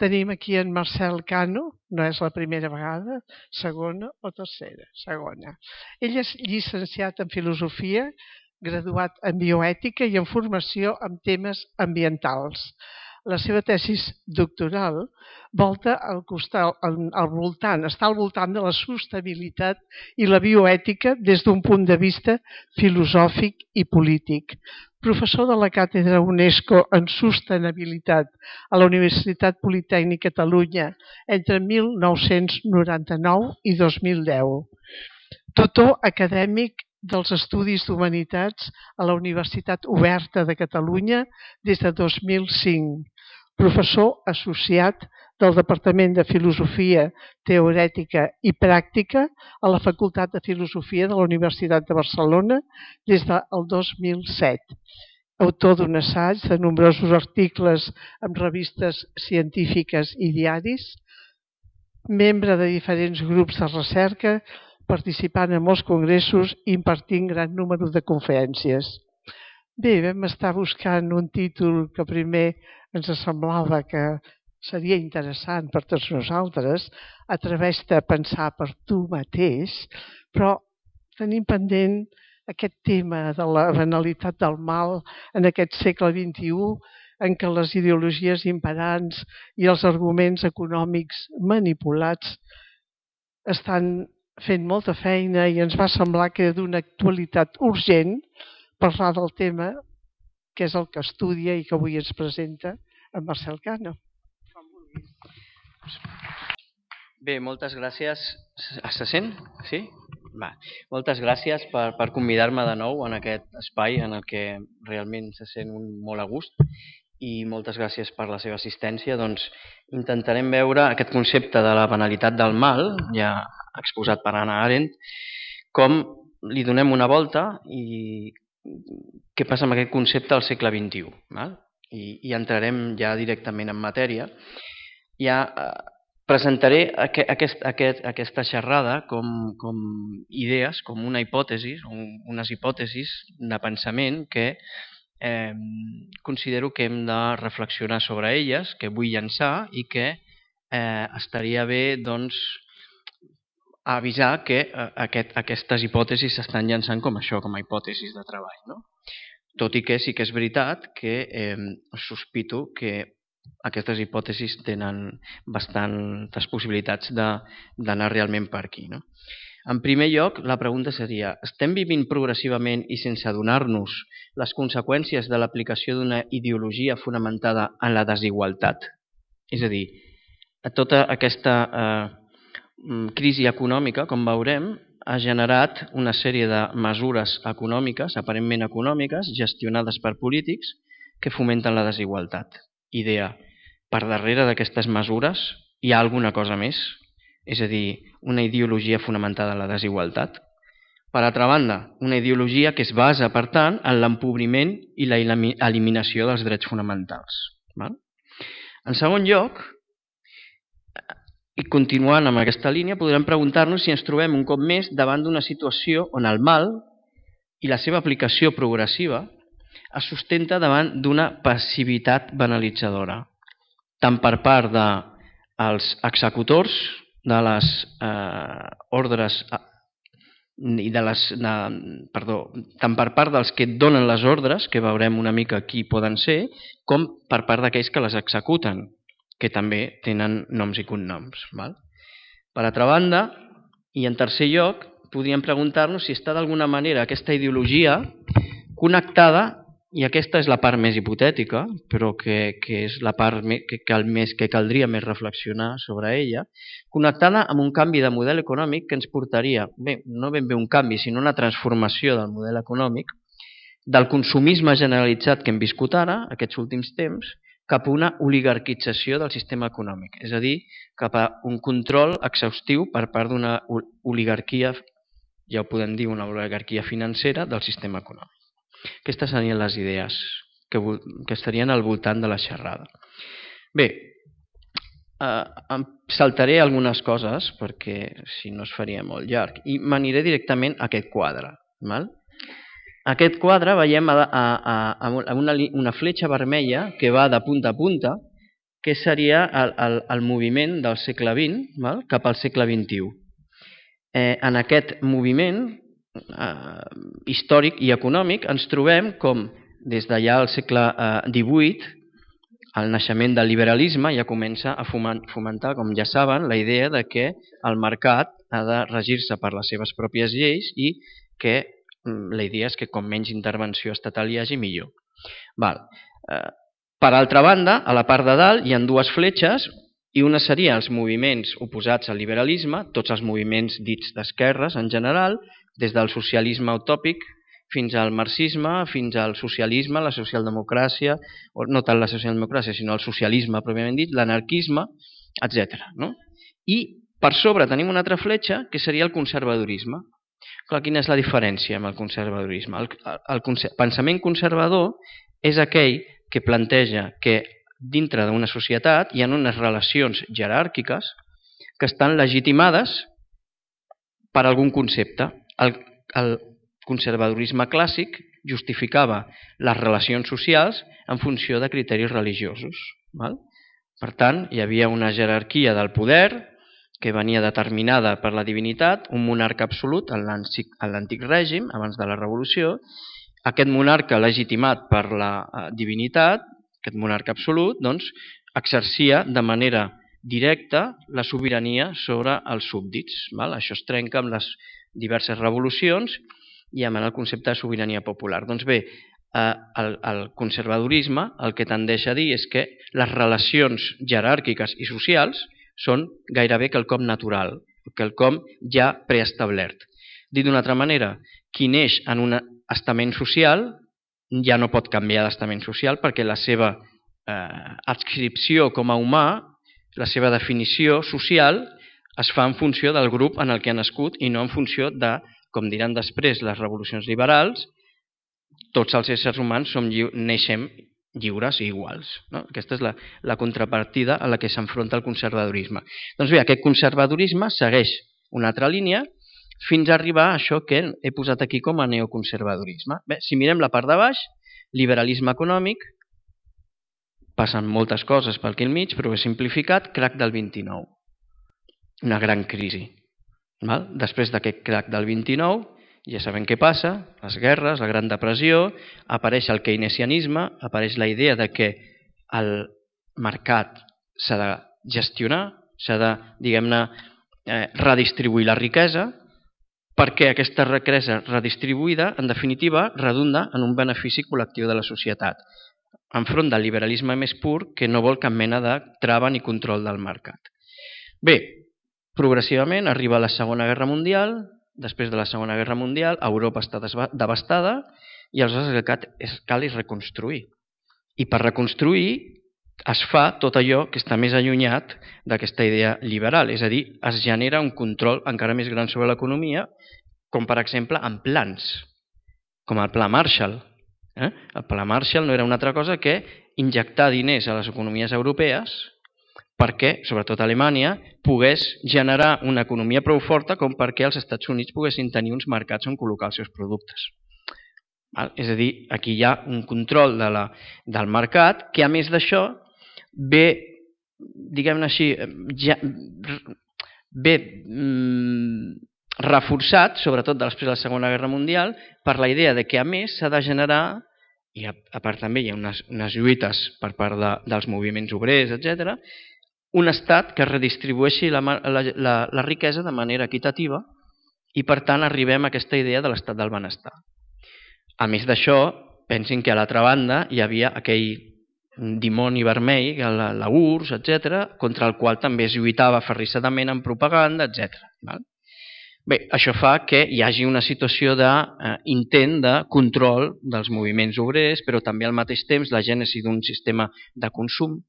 Tenim aquí en Marcel Cano, no és la primera vegada, segona o tercera, segona. Ell és llicenciat en filosofia, graduat en bioètica i en formació en temes ambientals. La seva tesis doctoral està al voltant de la sostenibilitat i la bioètica des d'un punt de vista filosòfic i polític. Professor de la Càtedra UNESCO en Sostenibilitat a la Universitat Politècnica de Catalunya entre 1999 i 2010. Tutor acadèmic dels Estudis d'Humanitats a la Universitat Oberta de Catalunya des de 2005. Professor associat del Departament de Filosofia Teorètica i Pràctica a la Facultat de Filosofia de la Universitat de Barcelona des del 2007. Autor d'un assaig, de nombrosos articles en revistes científiques i diaris, membre de diferents grups de recerca, participant en molts congressos i impartint gran número de conferències. Bé, vam estar buscant un títol que primer ens semblava que seria interessant per tots nosaltres, Atreveix-te a pensar per tu mateix, però tenim pendent aquest tema de la banalitat del mal en aquest segle XXI, en què les ideologies imperants i els arguments econòmics manipulats estan fent molta feina i ens va semblar que era d'una actualitat urgent parlar del tema, que és el que estudia i que avui ens presenta en Marcel Cano. Bé, moltes gràcies. Se sent? Sí? Va. Moltes gràcies per convidar-me de nou en aquest espai en el que realment se sent molt a gust i moltes gràcies per la seva assistència. Doncs intentarem veure aquest concepte de la banalitat del mal, ja exposat per Hannah Arendt, com li donem una volta i què passa amb aquest concepte al segle XXI. I entrarem ja directament en matèria. Ja presentaré aquesta xerrada com idees, com una hipòtesi, unes hipòtesis de pensament que considero que hem de reflexionar sobre elles, que vull llançar i que estaria bé doncs, avisar que aquestes hipòtesis s'estan llançant com això, com a hipòtesis de treball. No? Tot i que sí que és veritat que sospito que aquestes hipòtesis tenen bastantes possibilitats d'anar realment per aquí. No? En primer lloc, la pregunta seria: estem vivint progressivament i sense adonar-nos les conseqüències de l'aplicació d'una ideologia fonamentada en la desigualtat? És a dir, tota aquesta crisi econòmica, com veurem, ha generat una sèrie de mesures econòmiques, aparentment econòmiques, gestionades per polítics, que fomenten la desigualtat. Idea: per darrere d'aquestes mesures hi ha alguna cosa més? És a dir, una ideologia fonamentada en la desigualtat. Per altra banda, una ideologia que es basa, per tant, en l'empobriment i la eliminació dels drets fonamentals. En segon lloc, i continuant amb aquesta línia, podrem preguntar-nos si ens trobem un cop més davant d'una situació on el mal i la seva aplicació progressiva es sustenta davant d'una passivitat banalitzadora, tant per part dels executors de les ordres i tant per part dels que donen les ordres, que veurem una mica qui poden ser, com per part d'aquells que les executen, que també tenen noms i cognoms. Per altra banda, i en tercer lloc, podríem preguntar-nos si està d'alguna manera aquesta ideologia connectada, i aquesta és la part més hipotètica, però que és la part que caldria més reflexionar sobre ella, connectada amb un canvi de model econòmic que ens portaria, no ben bé un canvi, sinó una transformació del model econòmic, del consumisme generalitzat que hem viscut ara, aquests últims temps, cap a una oligarquització del sistema econòmic, és a dir, cap a un control exhaustiu per part d'una oligarquia, ja ho podem dir, una oligarquia financera del sistema econòmic. Aquestes serien les idees que estarien al voltant de la xerrada. Bé, em saltaré algunes coses perquè si no es faria molt llarg i m'aniré directament a aquest quadre. Aquest quadre veiem una fletxa vermella que va de punta a punta que seria el moviment del segle XX cap al segle XXI. En aquest moviment històric i econòmic ens trobem com des d'allà al segle XVIII el naixement del liberalisme ja comença a fomentar, com ja saben, la idea de que el mercat ha de regir-se per les seves pròpies lleis i que la idea és que com menys intervenció estatal hi hagi, millor. Per altra banda, a la part de dalt hi ha dues fletxes i una seria els moviments oposats al liberalisme, tots els moviments dits d'esquerres en general, des del socialisme utòpic fins al marxisme, fins al socialisme, la socialdemocràcia, o no tant la socialdemocràcia, sinó el socialisme pròpiament dit, l'anarquisme, etc. I per sobre tenim una altra fletxa que seria el conservadorisme. Clar, quina és la diferència amb el conservadorisme? El pensament conservador és aquell que planteja que dintre d'una societat hi ha unes relacions jeràrquiques que estan legitimades per algun concepte. El conservadorisme clàssic justificava les relacions socials en funció de criteris religiosos. Per tant, hi havia una jerarquia del poder que venia determinada per la divinitat, un monarca absolut en l'antic règim, abans de la revolució. Aquest monarca legitimat per la divinitat, aquest monarca absolut, doncs, exercia de manera directa la sobirania sobre els súbdits. Això es trenca amb les diverses revolucions i amb el concepte de sobirania popular. Doncs bé, el conservadorisme el que tendeix a dir és que les relacions jeràrquiques i socials són gairebé quelcom natural, quelcom ja preestablert. Dit d'una altra manera, qui neix en un estament social ja no pot canviar d'estament social perquè la seva adscripció com a humà, la seva definició social, es fa en funció del grup en el que ha nascut i no en funció de, com diran després les revolucions liberals, tots els éssers humans neixem lliures i iguals. Aquesta és la contrapartida a la que s'enfronta el conservadorisme. Doncs bé, aquest conservadorisme segueix una altra línia fins a arribar a això que he posat aquí com a neoconservadorisme. Bé, si mirem la part de baix, liberalisme econòmic, passen moltes coses per aquí al mig, però he simplificat, crac del 29. Una gran crisi. Després d'aquest crac del 29, ja sabem què passa, les guerres, la Gran Depressió, apareix el keynesianisme, apareix la idea de que el mercat s'ha de gestionar, s'ha de, diguem-ne, redistribuir la riquesa, perquè aquesta riquesa redistribuïda, en definitiva, redunda en un benefici col·lectiu de la societat, enfront del liberalisme més pur que no vol cap mena de trava ni control del mercat. Bé, progressivament arriba la Segona Guerra Mundial. Després de la Segona Guerra Mundial, Europa està devastada i aleshores el que cal és reconstruir. I per reconstruir es fa tot allò que està més allunyat d'aquesta idea liberal, és a dir, es genera un control encara més gran sobre l'economia, com per exemple en plans, com el Pla Marshall. El Pla Marshall no era una altra cosa que injectar diners a les economies europees perquè, sobretot Alemanya, pogués generar una economia prou forta com perquè els Estats Units poguessin tenir uns mercats on col·locar els seus productes. És a dir, aquí hi ha un control del mercat que, a més d'això, ve, diguem-ne així, ve reforçat, sobretot després de la Segona Guerra Mundial, per la idea de que, a més, s'ha de generar, i a part també hi ha unes lluites per part dels moviments obrers, etc., un estat que redistribueixi la riquesa de manera equitativa i, per tant, arribem a aquesta idea de l'estat del benestar. A més d'això, pensin que a l'altra banda hi havia aquell dimoni vermell, la URSS, etc., contra el qual també es lluitava aferrissadament en propaganda, etc. Bé, això fa que hi hagi una situació d'intent de control dels moviments obrers, però també al mateix temps la gènesi d'un sistema de consum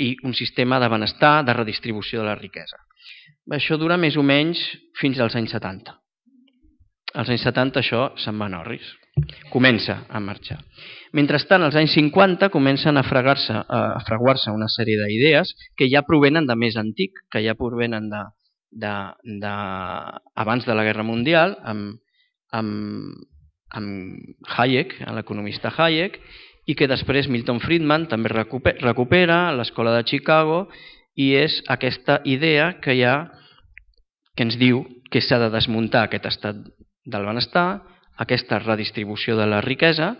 i un sistema de benestar, de redistribució de la riquesa. Això dura més o menys fins als anys 70. Als anys 70 això se'n va en orris. Comença a marxar. Mentrestant, als anys 50 comencen a fraguar-se una sèrie d'idees que ja provenen de més antic, que ja provenen abans de la Guerra Mundial, amb Hayek, l'economista Hayek, i que després Milton Friedman també recupera a l'escola de Chicago, i és aquesta idea que hi ha que ens diu que s'ha de desmuntar aquest estat del benestar, aquesta redistribució de la riquesa,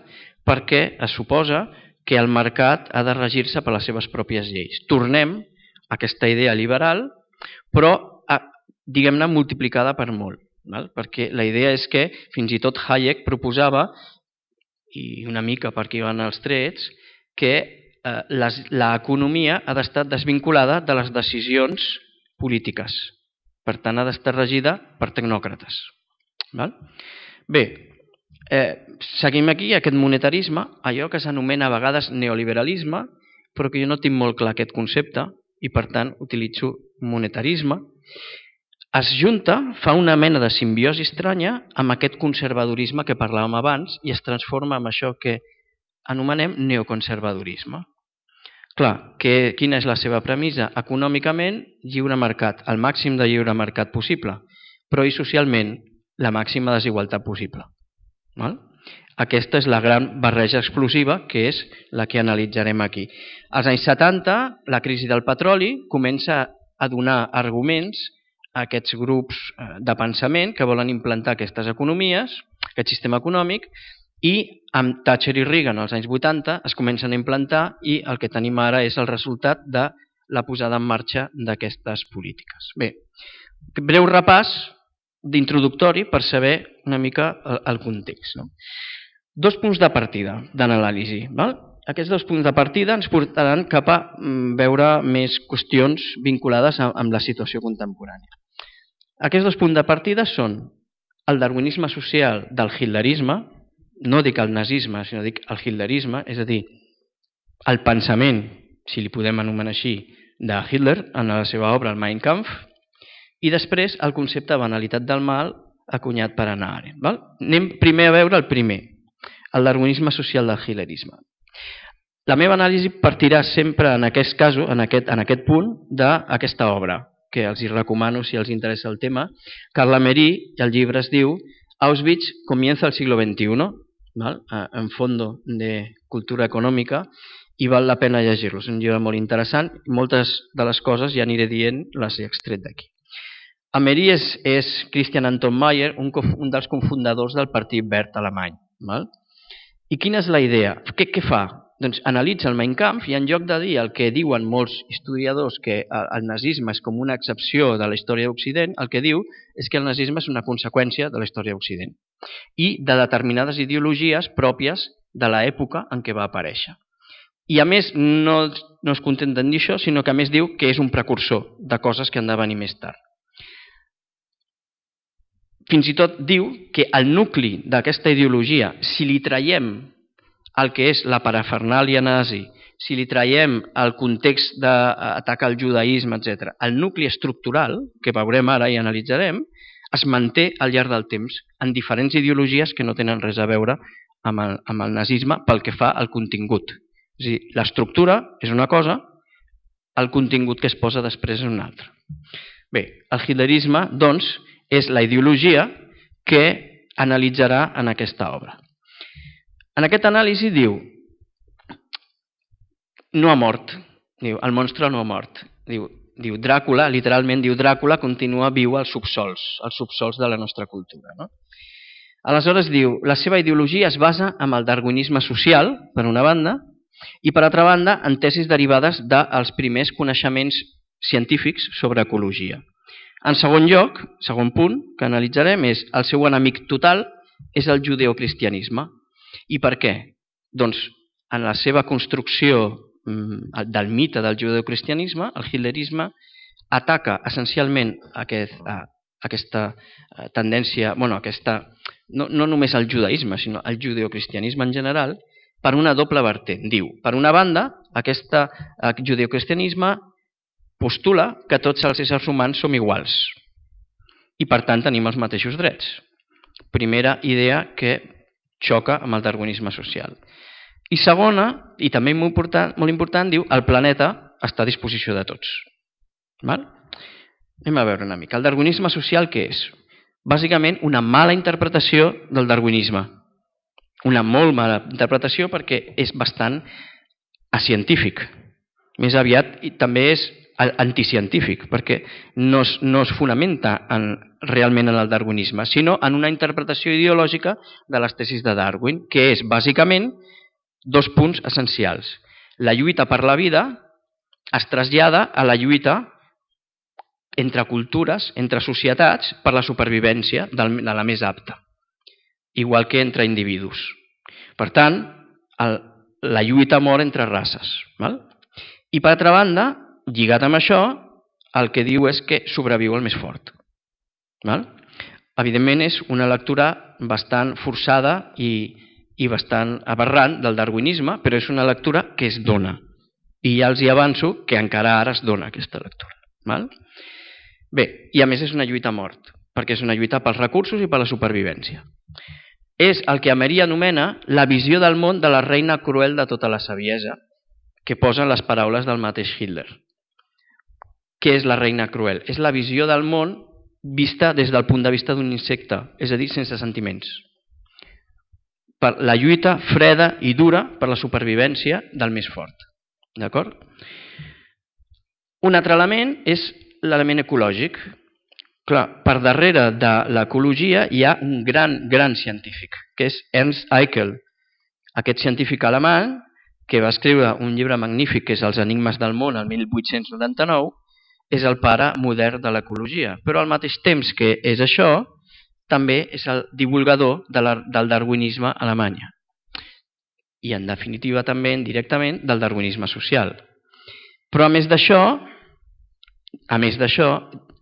perquè es suposa que el mercat ha de regir-se per les seves pròpies lleis. Tornem a aquesta idea liberal, però diguem-ne multiplicada per molt, perquè la idea és que fins i tot Hayek proposava, i una mica per aquí van els trets, que l'economia ha d'estar desvinculada de les decisions polítiques. Per tant, ha d'estar regida per tecnòcrates. Bé, seguim aquí aquest monetarisme, allò que s'anomena a vegades neoliberalisme, però que jo no tinc molt clar aquest concepte i per tant utilitzo monetarisme. Es junta, fa una mena de simbiosi estranya amb aquest conservadorisme que parlàvem abans i es transforma en això que anomenem neoconservadorisme. Clar, quina és la seva premissa? Econòmicament, lliure mercat, el màxim de lliure mercat possible, però i socialment, la màxima desigualtat possible. Aquesta és la gran barreja explosiva que és la que analitzarem aquí. Als anys 70, la crisi del petroli comença a donar arguments a aquests grups de pensament que volen implantar aquestes economies, aquest sistema econòmic, i amb Thatcher i Reagan als anys 80 es comencen a implantar i el que tenim ara és el resultat de la posada en marxa d'aquestes polítiques. Bé, breu repàs d'introductori per saber una mica el context. Dos punts de partida d'anàlisi. Aquests dos punts de partida ens portaran cap a veure més qüestions vinculades amb la situació contemporània. Aquests dos punts de partida són el darwinisme social del hitlerisme, no dic el nazisme, sinó dic el hitlerisme, és a dir, el pensament, si li podem anomenar així, de Hitler en la seva obra El Mein Kampf, i després el concepte de banalitat del mal acunyat per Hannah Arendt. Anem primer a veure el primer, el darwinisme social del hitlerisme. La meva anàlisi partirà sempre en aquest cas, en aquest punt, d'aquesta obra, que els hi recomano si els interessa el tema. Carla Mery, el llibre es diu Auschwitz comienza el siglo XXI, en fondo de cultura econòmica, i val la pena llegir-lo. És un llibre molt interessant, moltes de les coses ja aniré dient, les he extret d'aquí. A Mery és Christian Anton Mayer, un dels cofundadors del Partit Verd alemany. I quina és la idea? Què fa? Doncs analitza el Mein Kampf i en lloc de dir el que diuen molts historiadors que el nazisme és com una excepció de la història d'Occident, el que diu és que el nazisme és una conseqüència de la història d'Occident i de determinades ideologies pròpies de l'època en què va aparèixer. I a més no es contenten dir això, sinó que a més diu que és un precursor de coses que han de venir més tard. Fins i tot diu que el nucli d'aquesta ideologia, si li traiem el que és la parafernàlia nazi, si li traiem el context d'atac al judaïsme, etc., el nucli estructural, que veurem ara i analitzarem, es manté al llarg del temps en diferents ideologies que no tenen res a veure amb el nazisme pel que fa al contingut. És a dir, l'estructura és una cosa, el contingut que es posa després és una altra. Bé, el hitlerisme, doncs, és la ideologia que analitzarà en aquesta obra. En aquesta anàlisi diu, no ha mort, diu, el monstre no ha mort, diu Dràcula, literalment diu Dràcula continua viu als subsols de la nostra cultura. Aleshores diu, la seva ideologia es basa en el darwinisme social, per una banda, i per altra banda en tesis derivades dels primers coneixements científics sobre ecologia. En segon lloc, segon punt que analitzarem és el seu enemic total és el judeocristianisme. I per què? Doncs en la seva construcció del mite del judeocristianisme, el hitlerisme ataca essencialment aquesta tendència, no només el judaïsme, sinó el judeocristianisme en general, per una doble vertent. Diu, per una banda, aquest judeocristianisme postula que tots els éssers humans som iguals i per tant tenim els mateixos drets. Primera idea que xoca amb el darwinisme social. I segona, i també molt important, diu el planeta està a disposició de tots. Anem a veure una mica. El darwinisme social què és? Bàsicament una mala interpretació del darwinisme. una molt mala interpretació perquè és bastant acientífic. Més aviat també és anticientífic, perquè no es fonamenta realment en el darwinisme, sinó en una interpretació ideològica de les tesis de Darwin, que és bàsicament dos punts essencials. La lluita per la vida es trasllada a la lluita entre cultures, entre societats, per la supervivència de la més apta, igual que entre individus. Per tant, la lluita mor entre races. Val? I per altra banda, lligat amb això, el que diu és que sobreviu el més fort. Val? Evidentment és una lectura bastant forçada i bastant aberrant del darwinisme, però és una lectura que es dona. I ja els hi avanço que encara ara es dona aquesta lectura. Val? Bé, i a més és una lluita a mort, perquè és una lluita pels recursos i per la supervivència. És el que Emery anomena la visió del món de la reina cruel de tota la saviesa, que posen les paraules del mateix Hitler. Què és la reina cruel? És la visió del món vista des del punt de vista d'un insecte, és a dir, sense sentiments. Per la lluita freda i dura per la supervivència del més fort. D'acord? Un altre element és l'element ecològic. Clar, per darrere de l'ecologia hi ha un gran científic, que és Ernst Haeckel. Aquest científic alemany, que va escriure un llibre magnífic que és Els enigmes del món el 1899, és el pare modern de l'ecologia. Però al mateix temps que és això, també és el divulgador del darwinisme a Alemanya. I en definitiva també, indirectament, del darwinisme social. Però a més d'això,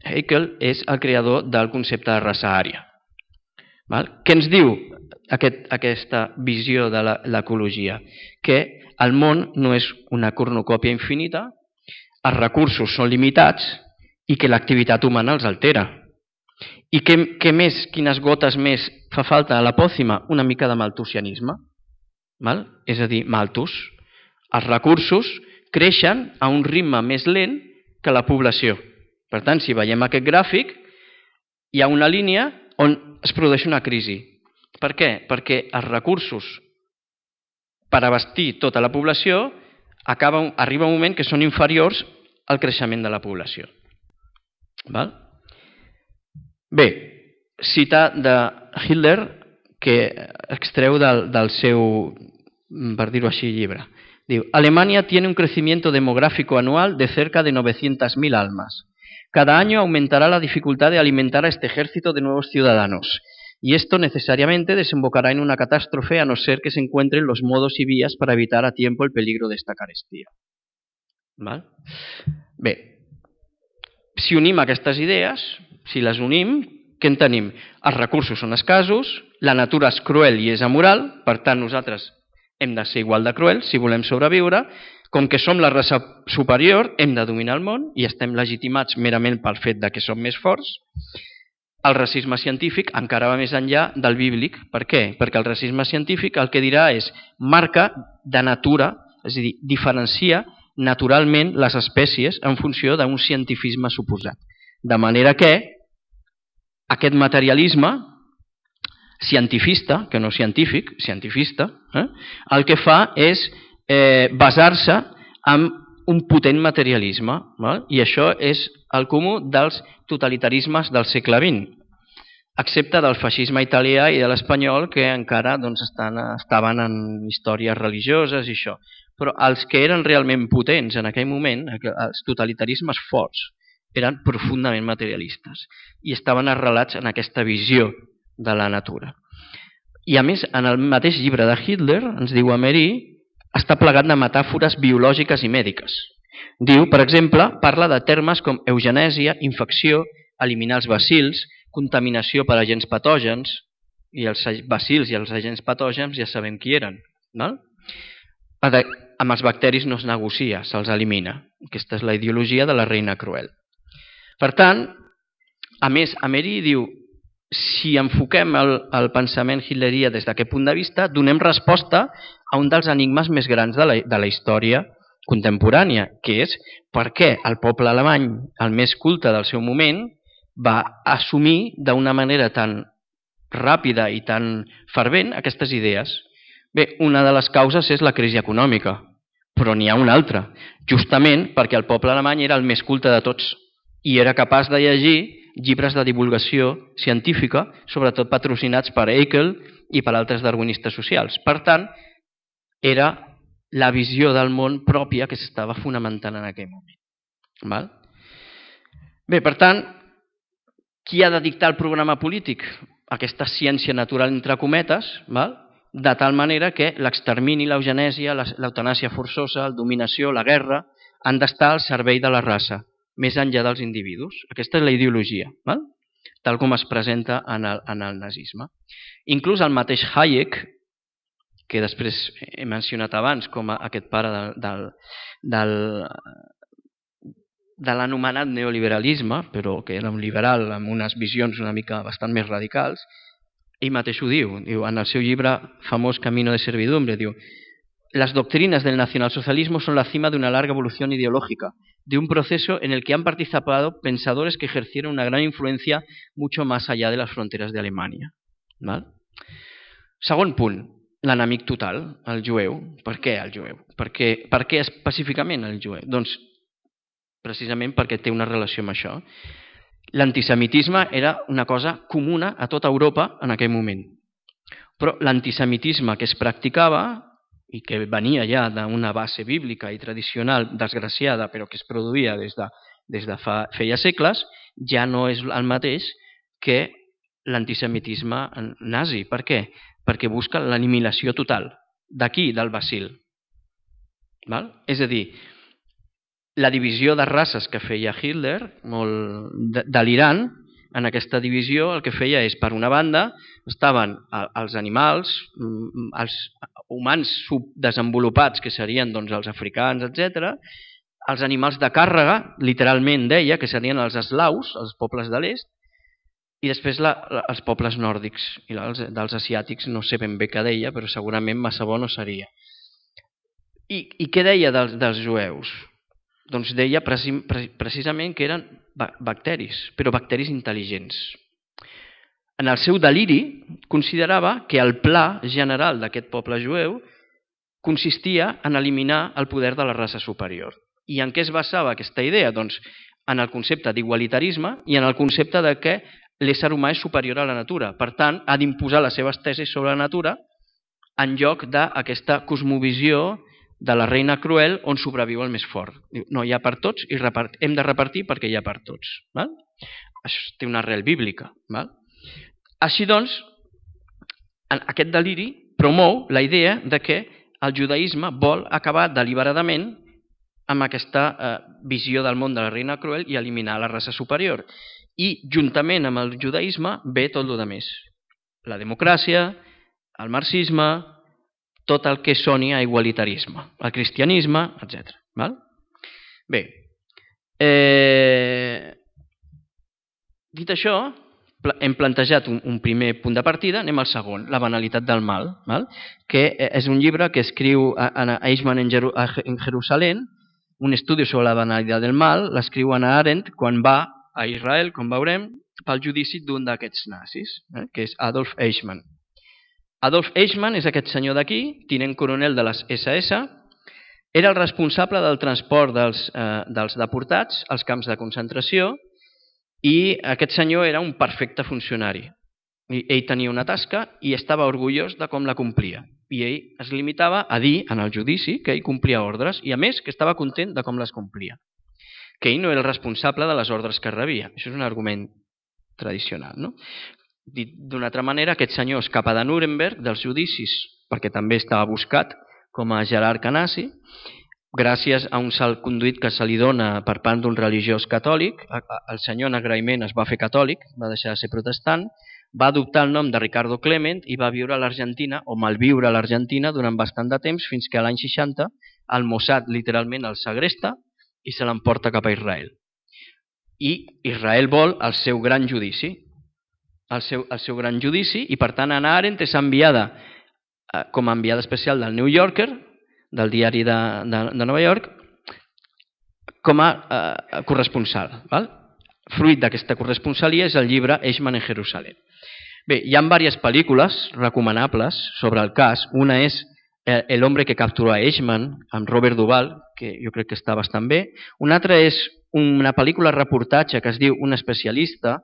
Haeckel és el creador del concepte de raça ària. Què ens diu aquesta visió de l'ecologia? Que el món no és una cornucòpia infinita, els recursos són limitats i que l'activitat humana els altera. I quines gotes més fa falta a la pòcima? Una mica de maltusianisme. És a dir, malthus. Els recursos creixen a un ritme més lent que la població. Per tant, si veiem aquest gràfic, hi ha una línia on es produeix una crisi. Per què? Perquè els recursos per abastir tota la població arriba un moment que són inferiors al creixement de la població. Bé, cita de Hitler que extreu del seu, per dir-ho així, llibre. Diu, Alemania tiene un crecimiento demográfico anual de cerca de 900.000 almas. Cada año aumentará la dificultad de alimentar a este ejército de nuevos ciudadanos. Y esto necesariamente desembocará en una catástrofe a no ser que se encuentren los modos y vías para evitar a tiempo el peligro de esta carestía. Bé, si unim aquestes idees, si les unim, què en tenim? Els recursos són escassos, la natura és cruel i és amoral, per tant nosaltres hem de ser igual de cruels si volem sobreviure. Com que som la raça superior, hem de dominar el món i estem legitimats merament pel fet que som més forts. El racisme científic encara va més enllà del bíblic. Per què? Perquè el racisme científic el que dirà és marca de natura, és a dir, diferencia naturalment les espècies en funció d'un cientifisme suposat. De manera que aquest materialisme cientifista, que no científic, cientifista, el que fa és basar-se en un potent materialisme, i això és el comú dels totalitarismes del segle XX, excepte del feixisme italià i de l'espanyol, que encara estaven en històries religioses i això. Però els que eren realment potents en aquell moment, els totalitarismes forts, eren profundament materialistes i estaven arrelats en aquesta visió de la natura. I a més, en el mateix llibre de Hitler, ens diu Emery, està plegat de metàfores biològiques i mèdiques. Diu, per exemple, parla de termes com eugenèsia, infecció, eliminar els bacils, contaminació per agents patògens, i els bacils i els agents patògens ja sabem qui eren. Amb els bacteris no es negocia, se'ls elimina. Aquesta és la ideologia de la reina cruel. Per tant, a més, Emery diu, si enfoquem el pensament hitlerià des d'aquest punt de vista, donem resposta a un dels enigmes més grans de la història contemporània, que és per què el poble alemany, el més culte del seu moment, va assumir d'una manera tan ràpida i tan fervent aquestes idees. Bé, una de les causes és la crisi econòmica, però n'hi ha una altra, justament perquè el poble alemany era el més culte de tots i era capaç de llegir llibres de divulgació científica, sobretot patrocinats per Haeckel i per altres darwinistes socials. Per tant, era la visió del món pròpia que s'estava fonamentant en aquell moment. Val? Bé, per tant, qui ha de dictar el programa polític? Aquesta ciència natural entre cometes, val? De tal manera que l'extermini, l'eugenèsia, l'eutanàsia forçosa, la dominació, la guerra, han d'estar al servei de la raça, més enllà dels individus. Aquesta és la ideologia, val? Tal com es presenta en el nazisme. Inclús el mateix Hayek, que després he mencionat abans com aquest pare de l'anomenat neoliberalisme, però que era un liberal amb unes visions una mica bastant més radicals, ell mateix ho diu, en el seu llibre famós Camino de Servidumbre, diu: las doctrinas del nacionalsocialismo son la cima de una larga evolución ideológica, de un proceso en el que han participado pensadores que ejercieron una gran influencia mucho más allá de las fronteras de Alemania. Val? Segon punt, l'enemic total, el jueu. Per què el jueu? Per què específicament el jueu? Doncs precisament perquè té una relació amb això. L'antisemitisme era una cosa comuna a tota Europa en aquell moment. Però l'antisemitisme que es practicava i que venia ja d'una base bíblica i tradicional desgraciada, però que es produïa des de feia segles, ja no és el mateix que l'antisemitisme nazi. Per què? Perquè busca l'aniquilació total. D'aquí, del bacil. Val? És a dir, la divisió de races que feia Hitler, molt delirant, en aquesta divisió el que feia és, per una banda, estaven els animals, els humans subdesenvolupats, que serien doncs, els africans, etc., els animals de càrrega, literalment deia, que serien els eslaus, els pobles de l'est, i després els pobles nòrdics, i dels asiàtics no sé ben bé què deia, però segurament massa bo no seria. I què deia dels jueus? Doncs deia precisament que eren bacteris, però bacteris intel·ligents. En el seu deliri considerava que el pla general d'aquest poble jueu consistia en eliminar el poder de la raça superior. I en què es basava aquesta idea? Doncs en el concepte d'igualitarisme i en el concepte de que l'ésser humà és superior a la natura. Per tant, ha d'imposar les seves tesis sobre la natura en lloc d'aquesta cosmovisió de la reina cruel on sobreviu el més fort. Diu, no, hi ha per tots i hem de repartir perquè hi ha per tots. Val? Això té una arrel bíblica. Val? Així doncs, aquest deliri promou la idea de que el judaïsme vol acabar deliberadament amb aquesta visió del món de la reina cruel i eliminar la raça superior. I juntament amb el judaïsme ve tot el que més. La democràcia, el marxisme, tot el que soni a igualitarisme, el cristianisme, etc. Val? Bé, dit això, hem plantejat un primer punt de partida, anem al segon, la banalitat del mal, val? Que és un llibre que escriu Eichmann en Jerusalem, un estudi sobre la banalitat del mal, l'escriu Hannah Arendt quan va a Israel, com veurem, pel judici d'un d'aquests nazis, que és Adolf Eichmann. Adolf Eichmann és aquest senyor d'aquí, tinent coronel de les SS, era el responsable del transport dels deportats als camps de concentració i aquest senyor era un perfecte funcionari. Ell tenia una tasca i estava orgullós de com la complia. I ell es limitava a dir en el judici que ell complia ordres i a més que estava content de com les complia. Que ell no era el responsable de les ordres que rebia. Això és un argument tradicional, no? Dit d'una altra manera, aquest senyor escapa de Nuremberg, dels judicis, perquè també estava buscat com a jerarca nazi, gràcies a un salconduit que se li dona per part d'un religiós catòlic. El senyor en agraïment es va fer catòlic, va deixar de ser protestant, va adoptar el nom de Ricardo Klement i va viure a l'Argentina, o malviure a l'Argentina, durant bastant de temps, fins que a l'any 60 el Mossad literalment el segresta i se l'emporta cap a Israel. I Israel vol el seu gran judici, i per tant Hannah Arendt és enviada com a enviada especial del New Yorker, del diari de Nova York, com a corresponsal. Val? Fruit d'aquesta corresponsalia és el llibre Eichmann en Jerusalem. Bé, hi ha diverses pel·lícules recomanables sobre el cas. Una és El hombre que capturó a Eichmann, amb Robert Duvall, que jo crec que està bastant bé. Una altra és una pel·lícula reportatge que es diu Un especialista,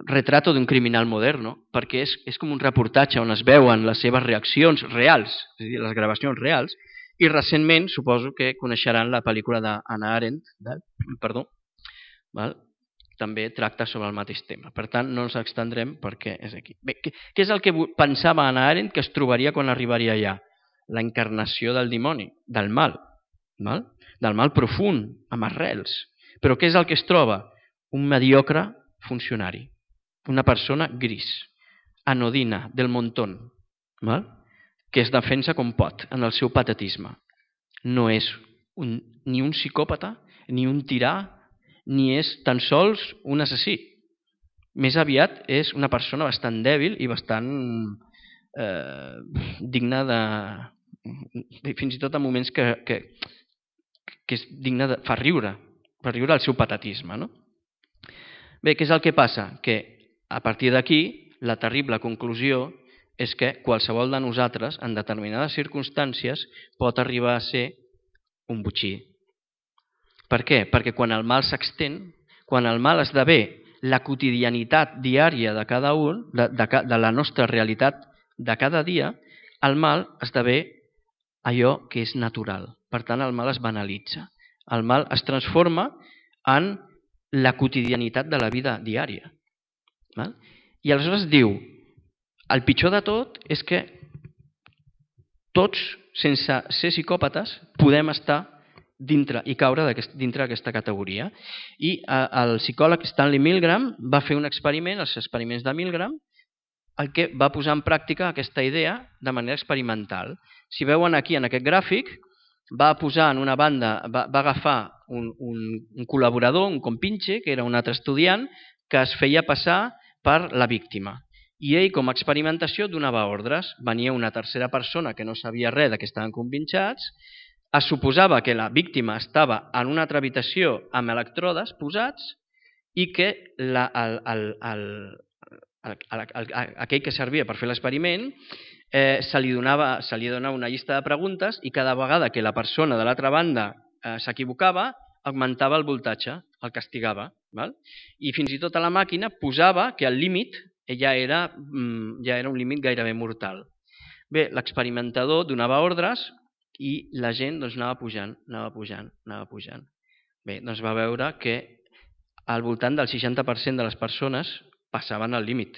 retrato d'un criminal moderno, perquè és com un reportatge on es veuen les seves reaccions reals, és a dir, les gravacions reals, i recentment suposo que coneixeran la pel·lícula d'Hannah Arendt, també tracta sobre el mateix tema. Per tant, no ens extendrem perquè és aquí. Bé, què és el que pensava Hannah Arendt que es trobaria quan arribaria allà? La encarnació del dimoni, del mal profund, amb arrels. Però què és el que es troba? Un mediocre funcionari, una persona gris, anodina, del montón, que es defensa com pot en el seu patetisme. No és ni un psicòpata, ni un tirà, ni és tan sols un assassí. Més aviat és una persona bastant dèbil i bastant digna de... fins i tot en moments que és digna de... fa riure el seu patetisme, no? Bé, què és el que passa? Que a partir d'aquí la terrible conclusió és que qualsevol de nosaltres en determinades circumstàncies pot arribar a ser un botxí. Per què? Perquè quan el mal s'extén, quan el mal esdevé la quotidianitat diària de cada un, de la nostra realitat de cada dia, el mal esdevé allò que és natural. Per tant, el mal es banalitza. El mal es transforma en la quotidianitat de la vida diària. I aleshores diu, el pitjor de tot és que tots, sense ser psicòpates, podem estar dintre i caure dintre d'aquesta categoria. I el psicòleg Stanley Milgram va fer un experiment, els experiments de Milgram, el que va posar en pràctica aquesta idea de manera experimental. Si veuen aquí en aquest gràfic, va posar en una banda, va agafar un col·laborador, un compinche, que era un altre estudiant, que es feia passar per la víctima. I ell, com a experimentació, donava ordres. Venia una tercera persona que no sabia res que estaven compinxats, es suposava que la víctima estava en una altra habitació amb electrodes posats i que aquell que servia per fer l'experiment se li donava una llista de preguntes i cada vegada que la persona de l'altra banda s'equivocava augmentava el voltatge, el castigava. I fins i tot a la màquina posava que el límit ja era un límit gairebé mortal. Bé, l'experimentador donava ordres i la gent anava pujant. Bé, doncs va veure que al voltant del 60% de les persones passaven el límit.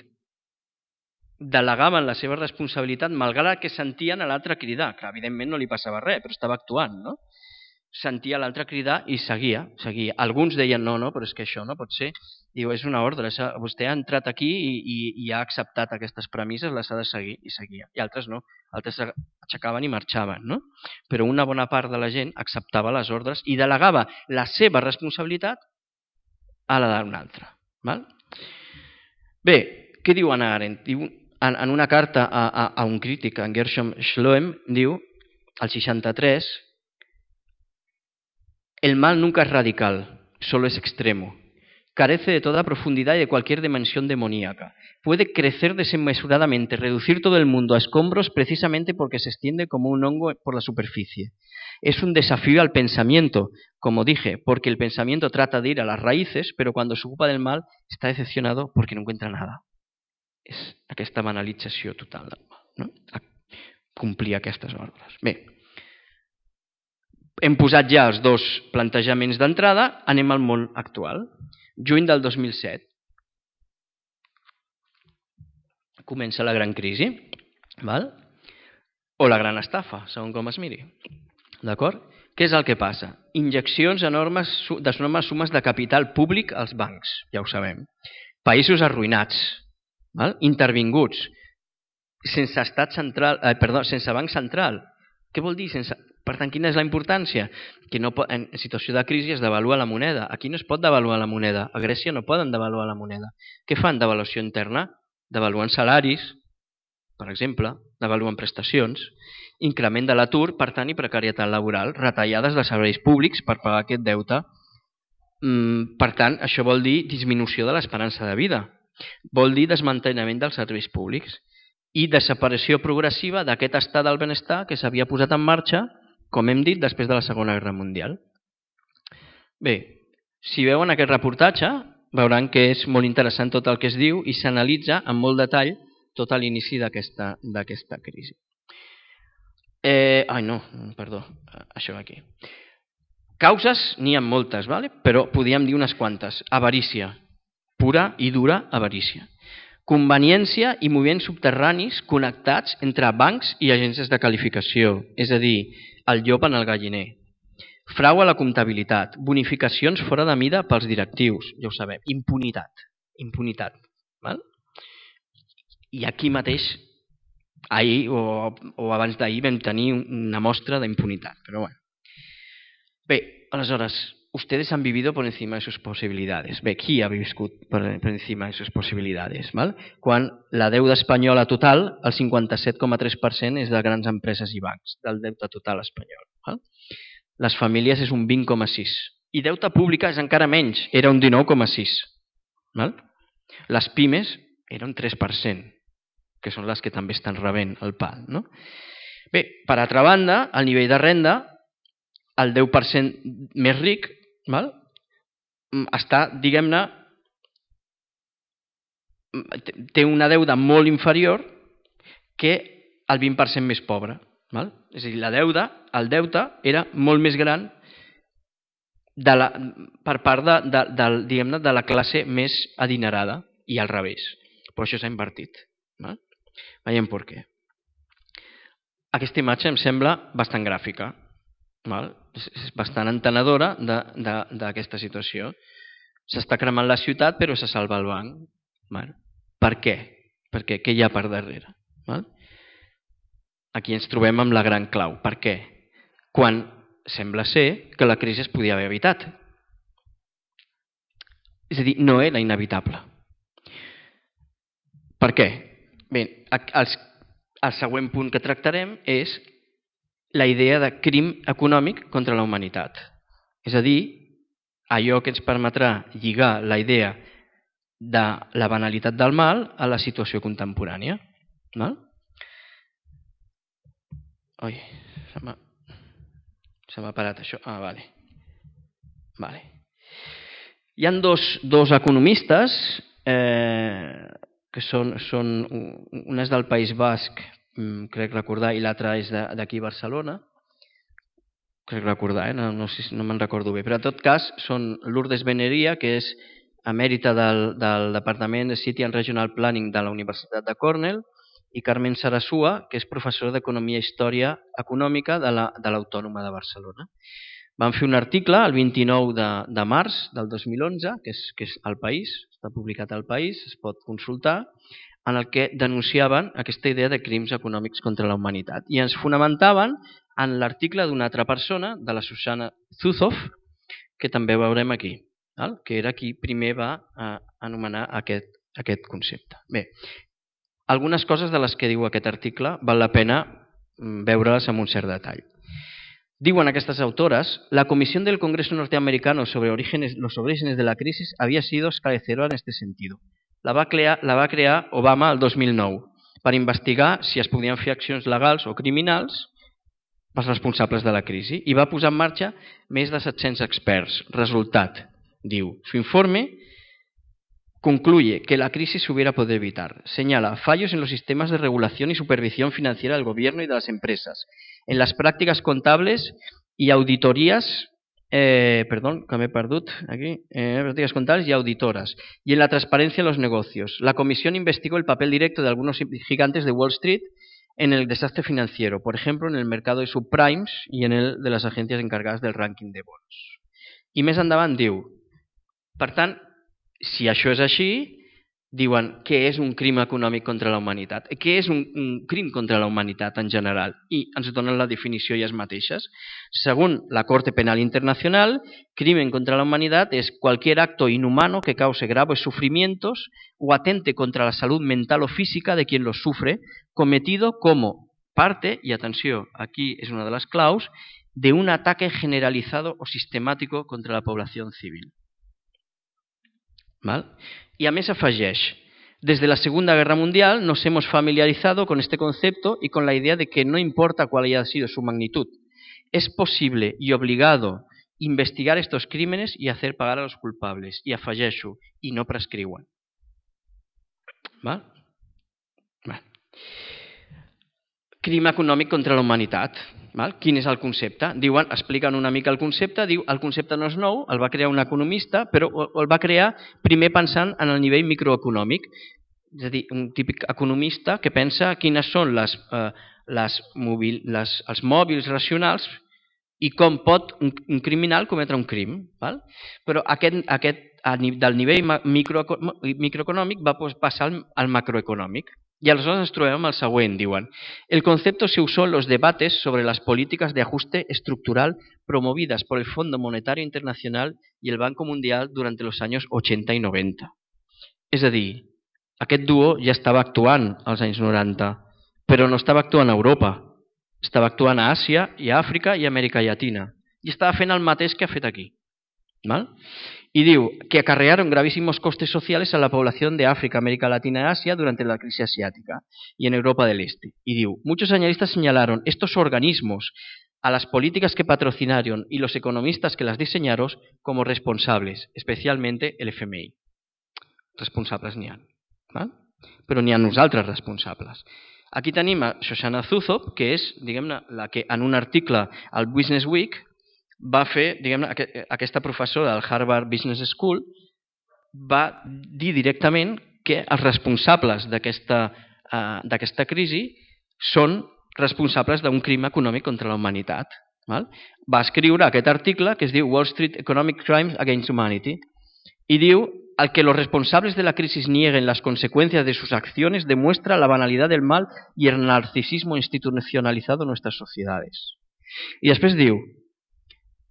Delegaven la seva responsabilitat malgrat que sentien a l'altre cridar, que evidentment no li passava res, però estava actuant, no? Sentia l'altre cridar i seguia. Alguns deien, no, però és que això no pot ser. Diu, és una ordre, vostè ha entrat aquí i ha acceptat aquestes premisses, les ha de seguir, i seguia. I altres no, altres aixecaven i marxaven, no? Però una bona part de la gent acceptava les ordres i delegava la seva responsabilitat a la d'un altre. Bé, què diu Hannah Arendt? Diu, en una carta a un crític, en Gershom Scholem, diu, al 63, el mal nunca es radical, solo es extremo. Carece de toda profundidad y de cualquier dimensión demoníaca. Puede crecer desmesuradamente, reducir todo el mundo a escombros precisamente porque se extiende como un hongo por la superficie. Es un desafío al pensamiento, como dije, porque el pensamiento trata de ir a las raíces, pero cuando se ocupa del mal está decepcionado porque no encuentra nada. És aquesta banalització total del mal, no? Complir aquestes ordres. Bé, hem posat ja els dos plantejaments d'entrada, anem al món actual. Juny del 2007. Comença la gran crisi, o la gran estafa, segons com es miri. D'acord? Què és el que passa? Injeccions d'enormes sumes de capital públic als bancs, ja ho sabem. Països arruïnats, intervinguts, sense banc central. Què vol dir? Per tant, quina és la importància? Que en situació de crisi es devalua la moneda. Aquí no es pot devaluar la moneda. A Grècia no poden devaluar la moneda. Què fan devaluació interna? Devaluen salaris, per exemple, devaluen prestacions, increment de l'atur, per tant, i precarietat laboral, retallades de serveis públics per pagar aquest deute. Per tant, això vol dir disminució de l'esperança de vida. Vol dir desmantellament dels serveis públics i desaparició progressiva d'aquest estat del benestar que s'havia posat en marxa, com hem dit, després de la Segona Guerra Mundial. Bé, si veuen aquest reportatge, veuran que és molt interessant tot el que es diu i s'analitza amb molt detall tot l'inici d'aquesta crisi. Això aquí. Causes n'hi ha moltes, però podríem dir unes quantes. Avarícia, pura i dura avarícia. Conveniència i moviments subterranis connectats entre bancs i agències de qualificació, és a dir, el llop en el galliner. Frau a la comptabilitat, bonificacions fora de mida pels directius, ja ho sabem, impunitat. I aquí mateix, ahir o abans d'ahir vam tenir una mostra d'impunitat, però bueno. Bé, aleshores, ustedes han vivido por encima de sus posibilidades. Bé, qui ha viscut per encima de sus posibilidades? Quan la deuda espanyola total, el 57,3% és de grans empreses i bancs, del deute total espanyol. Les famílies és un 20,6%. I deute pública és encara menys, era un 19,6%. Les pimes era un 3%, que són les que també estan rebent el PAL. Bé, per altra banda, el nivell de renda, el 10% més ric, està, diguem-ne, té una deuda molt inferior que el 20% més pobre. És a dir, el deute era molt més gran per part de la classe més adinerada i al revés. Però això s'ha invertit. Veiem per què. Aquesta imatge em sembla bastant gràfica. És bastant entenedora d'aquesta situació. S'està cremant la ciutat però se salva el banc. Per què? Què hi ha per darrere? Aquí ens trobem amb la gran clau. Per què? Quan sembla ser que la crisi es podia haver evitat. És a dir, no era inevitable. Per què? Bé, el següent punt que tractarem és la idea de crim econòmic contra la humanitat. És a dir, allò que ens permetrà lligar la idea de la banalitat del mal a la situació contemporània. Ui, se m'ha parat això. Vale. Hi ha dos economistes que són una és del País Basc, crec recordar, i l'altra és d'aquí a Barcelona, crec recordar, no me'n recordo bé, però en tot cas són Lourdes Beneria, que és emèrita del Departament de City and Regional Planning de la Universitat de Cornell, i Carmen Sarasua, que és professora d'Economia i Història Econòmica de l'Autònoma de Barcelona. Van fer un article el 29 de març del 2011, que és al País, està publicat al País, es pot consultar, en el que denunciaven aquesta idea de crims econòmics contra la humanitat. I ens fonamentaven en l'article d'una altra persona, de la Susana Zuzoff, que també veurem aquí, que era qui primer va anomenar aquest concepte. Bé, algunes coses de les que diu aquest article val la pena veure-les amb un cert detall. Diuen aquestes autores, la Comisión del Congreso Norteamericano sobre los orígenes de la crisis había sido esclarecedora en este sentido. La va crear Obama el 2009 per investigar si es podien fer accions legals o criminals pels responsables de la crisi i va posar en marxa més de 700 experts. Resultat, diu, su informe concluye que la crisis se hubiera podido evitar. Señala fallos en los sistemas de regulación y supervisión financiera del gobierno y de las empresas, en las prácticas contables y auditorías, prácticas contables y auditoras, y en la transparencia en los negocios. La comisión investigó el papel directo de algunos gigantes de Wall Street en el desastre financiero, por ejemplo, en el mercado de subprimes y en el de las agencias encargadas del ranking de bonos. I més endavant diu, per tant, si això és així, diuen què és un crim econòmic contra la humanitat, què és un crim contra la humanitat en general, i ens donen la definició ellas mateixes. Según la Corte Penal Internacional, crimen contra la humanidad es cualquier acto inhumano que cause graves sufrimientos o atente contra la salud mental o física de quien los sufre, cometido como parte, y atenció, aquí es una de las claus, de un ataque generalizado o sistemático contra la población civil. I a més afegeix, Desde la Segunda Guerra Mundial nos hemos familiarizado con este concepto y con la idea de que no importa cuál haya sido su magnitud, es posible y obligado investigar estos crímenes y hacer pagar a los culpables. I afegeixo, i no prescriuen. Val? Crim econòmic contra la humanitat. Val? Quin és el concepte? Diuen, expliquen una mica el concepte, diu el concepte no és nou, el va crear un economista, però el va crear primer pensant en el nivell microeconòmic. És a dir, un típic economista que pensa quines són els mòbils racionals i com pot un criminal cometre un crim. Val? Però del nivell microeconòmic va passar al macroeconòmic. Y aleshores ens trobem amb el següent, diuen. El concepto se usó en los debates sobre las políticas de ajuste estructural promovidas por el Fondo Monetario Internacional y el Banco Mundial durante los años 80 y 90. És a dir, aquest duo ja estava actuant als anys 90, però no estava actuant a Europa, estava actuant a Àsia i a Àfrica i a Amèrica Llatina. I estava fent el mateix que ha fet aquí. ¿Vale? Y digo que acarrearon gravísimos costes sociales a la población de África, América Latina y Asia durante la crisis asiática y en Europa del Este. Y digo, muchos analistas señalaron estos organismos a las políticas que patrocinaron y los economistas que las diseñaron como responsables, especialmente el FMI. Responsables n'hi ha, però n'hi ha nosaltres responsables. Aquí tenim a Shoshana Zuboff, que és, diguem-ne, la que en un article al Business Week va fer, diguem-ne, aquesta professora del Harvard Business School va dir directament que els responsables d'aquesta crisi són responsables d'un crim econòmic contra la humanitat. Va escriure aquest article que es diu Wall Street Economic Crimes Against Humanity y diu al que los responsables de la crisis nieguen las consecuencias de sus acciones demuestra la banalidad del mal y el narcisismo institucionalizado en nuestras sociedades. Y després diu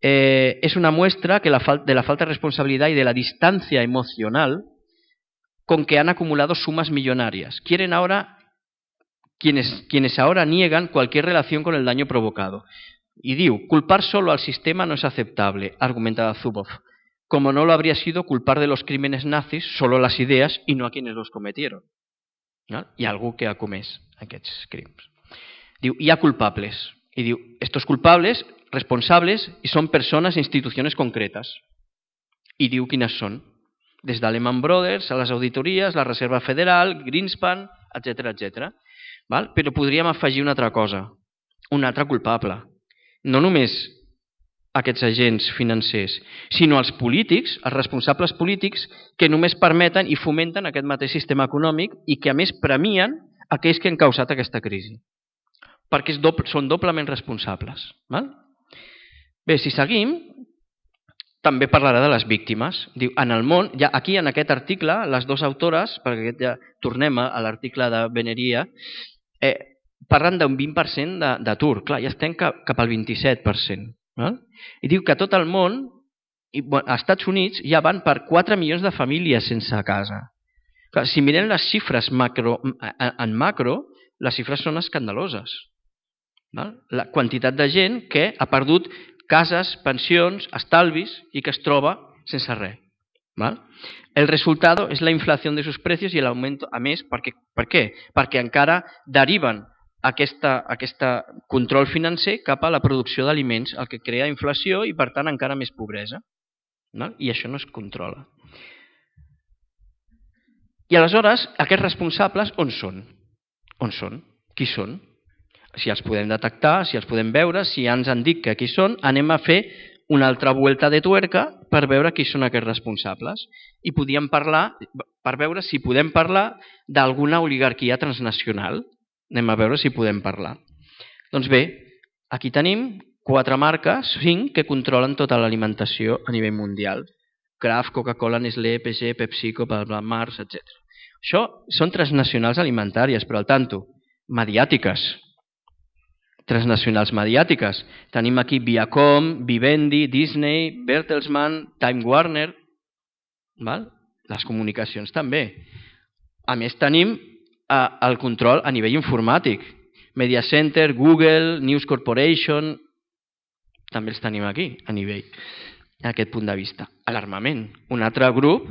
es una muestra de la falta de responsabilidad y de la distancia emocional con que han acumulado sumas millonarias. Quieren ahora, quienes ahora niegan cualquier relación con el daño provocado. Y diu, culpar solo al sistema no es aceptable, argumentaba Zuboff, como no lo habría sido culpar de los crímenes nazis solo las ideas y no a quienes los cometieron. Hi ha algú que ha comès aquests crims. Diu, hi ha culpables. Y diu, estos culpables responsables y son personas e instituciones concretas. Y diu quines són. Des de Lehman Brothers a les auditories, la Reserva Federal, Greenspan, etc. Però podríem afegir una altra cosa, un altre culpable. No només aquests agents financers, sinó els polítics, els responsables polítics que només permeten i fomenten aquest mateix sistema econòmic i que a més premien aquells que han causat aquesta crisi. Perquè són doblement responsables. Bé, si seguim, també parlarà de les víctimes. Diu, en el món, ja aquí en aquest article, les dues autores, perquè ja tornem a l'article de Beneria, parlen d'un 20% d'atur. Clar, ja estem cap al 27%. I diu que a tot el món, als Estats Units, ja van per 4 milions de famílies sense casa. Clar, si mirem les xifres en macro, les xifres són escandaloses. La quantitat de gent que ha perdut cases, pensions, estalvis i que es troba sense res. El resultado es la inflación de sus precios y el aumento, a més, per què? Perquè encara deriven aquest control financer cap a la producció d'aliments, el que crea inflació i, per tant, encara més pobresa. I això no es controla. I aleshores, aquests responsables on són? On són? Qui són? Si els podem detectar, si els podem veure, si ja ens han dit que aquí són, anem a fer una altra vuelta de tuerca per veure qui són aquests responsables. I podíem parlar, per veure si podem parlar d'alguna oligarquia transnacional. Anem a veure si podem parlar. Doncs bé, aquí tenim 4 marques, 5, que controlen tota l'alimentació a nivell mundial. Kraft, Coca-Cola, Nestlé, PG, PepsiCo, Mars, etc. Això són transnacionals alimentàries, però al tanto, mediàtiques. Transnacionals mediàtiques. Tenim aquí Viacom, Vivendi, Disney, Bertelsmann, Time Warner. Les comunicacions també. A més tenim el control a nivell informàtic. Media Center, Google, News Corporation, també els tenim aquí a nivell, a aquest punt de vista. L'armament, un altre grup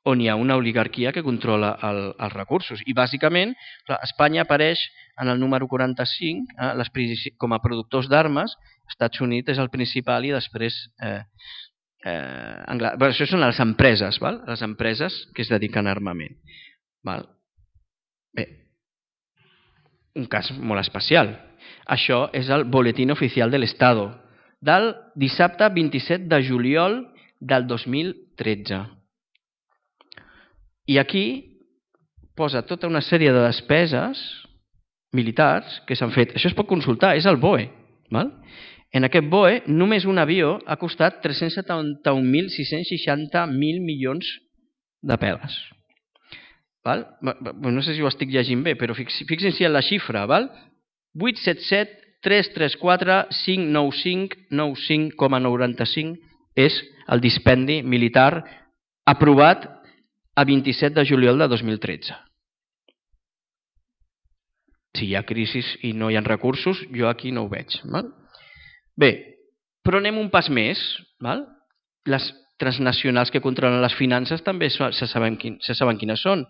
on hi ha una oligarquia que controla els recursos. I bàsicament Espanya apareix en el número 45 com a productors d'armes. Estats Units és el principal i després això són les empreses, les empreses que es dediquen a armament. Bé, un cas molt especial. Això és el Boletín Oficial del Estado del dissabte 27 de juliol del 2013. I aquí posa tota una sèrie de despeses militars que s'han fet. Això es pot consultar, és el BOE. En aquest BOE, només un avió ha costat 371.660 milions de peles. No sé si ho estic llegint bé, però fixin-se en la xifra. 877 334 595 95,95 és el dispendi militar aprovat a 27 de juliol de 2013. Si hi ha crisi i no hi ha recursos, jo aquí no ho veig. Bé, però anem un pas més. Les transnacionals que controlen les finances també se saben quines són.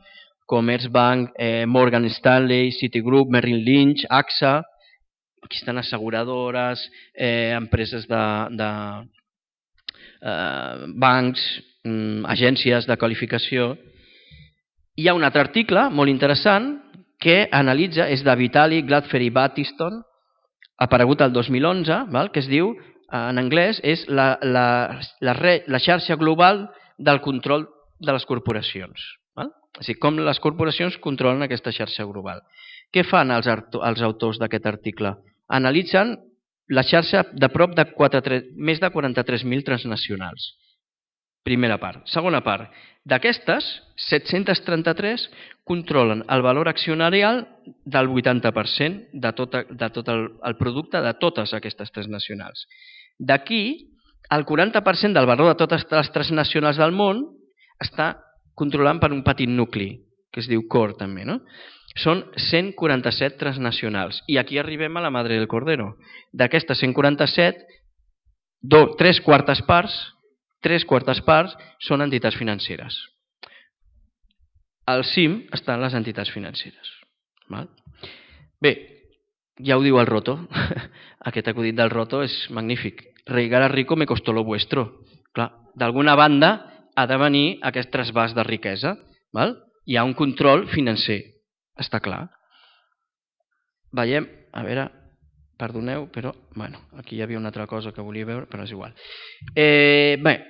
Commerzbank, Morgan Stanley, Citigroup, Merrill Lynch, AXA, aquí estan asseguradores, empreses de bancs, agències de qualificació. Hi ha un altre article molt interessant que analitza, és de Vitali Gladferi Battiston, aparegut el 2011, que es diu, en anglès, és la xarxa global del control de les corporacions. És a dir, com les corporacions controlen aquesta xarxa global. Què fan els autors d'aquest article? Analitzen la xarxa de prop de més de 43.000 transnacionals. Primera part. Segona part. D'aquestes, 733 controlen el valor accionarial del 80% de tot el producte de totes aquestes transnacionals. D'aquí, el 40% del valor de totes les transnacionals del món està controlant per un petit nucli, que es diu core també. Són 147 transnacionals. I aquí arribem a la madre del cordero. D'aquestes 147, 3/4 parts són entitats financeres. Al cim estan les entitats financeres. Bé, ja ho diu el Roto. Aquest acudit del Roto és magnífic. Reigar a rico me costó lo vuestro. D'alguna banda ha de venir aquest trasbàs de riquesa. Hi ha un control financer, està clar. Veiem, a veure, perdoneu, però aquí hi havia una altra cosa que volia veure, però és igual. Bé,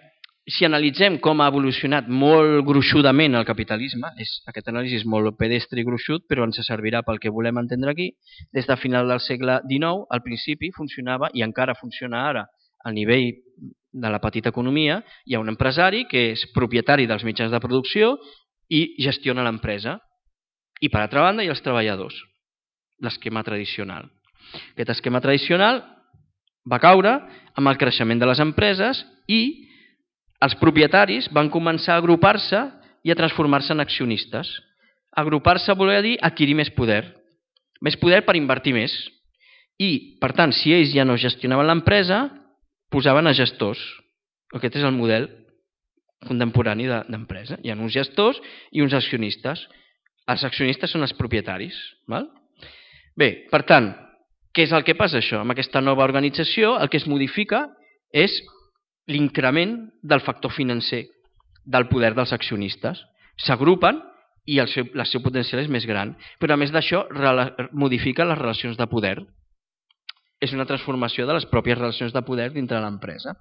si analitzem com ha evolucionat molt gruixudament el capitalisme, aquest anàlisi és molt pedestre i gruixut, però ens servirà pel que volem entendre aquí, des de final del segle XIX, al principi funcionava, i encara funciona ara, al nivell de la petita economia, hi ha un empresari que és propietari dels mitjans de producció i gestiona l'empresa. I per altra banda hi ha els treballadors, l'esquema tradicional. Aquest esquema tradicional va caure amb el creixement de les empreses i els propietaris van començar a agrupar-se i a transformar-se en accionistes. Agrupar-se volia dir adquirir més poder per invertir més. I, per tant, si ells ja no gestionaven l'empresa, posaven a gestors. Aquest és el model contemporani d'empresa. Hi ha uns gestors i uns accionistes. Els accionistes són els propietaris. Bé, per tant, què és el que passa això? Amb aquesta nova organització el que es modifica és l'increment del factor financer, del poder dels accionistes. S'agrupen i el seu potencial és més gran. Però a més d'això modifica les relacions de poder. És una transformació de les pròpies relacions de poder dintre l'empresa.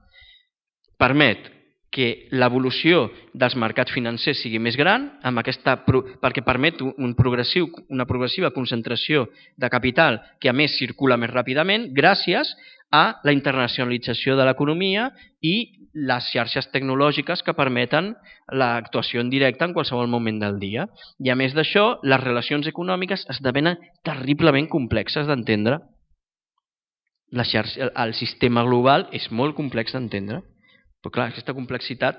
Permet que l'evolució dels mercats financers sigui més gran, perquè permet una progressiva concentració de capital que a més circula més ràpidament gràcies a la internacionalització de l'economia i les xarxes tecnològiques que permeten l'actuació en directe en qualsevol moment del dia. I a més d'això, les relacions econòmiques esdevenen terriblement complexes d'entendre. El sistema global és molt complex d'entendre, però clar, aquesta complexitat,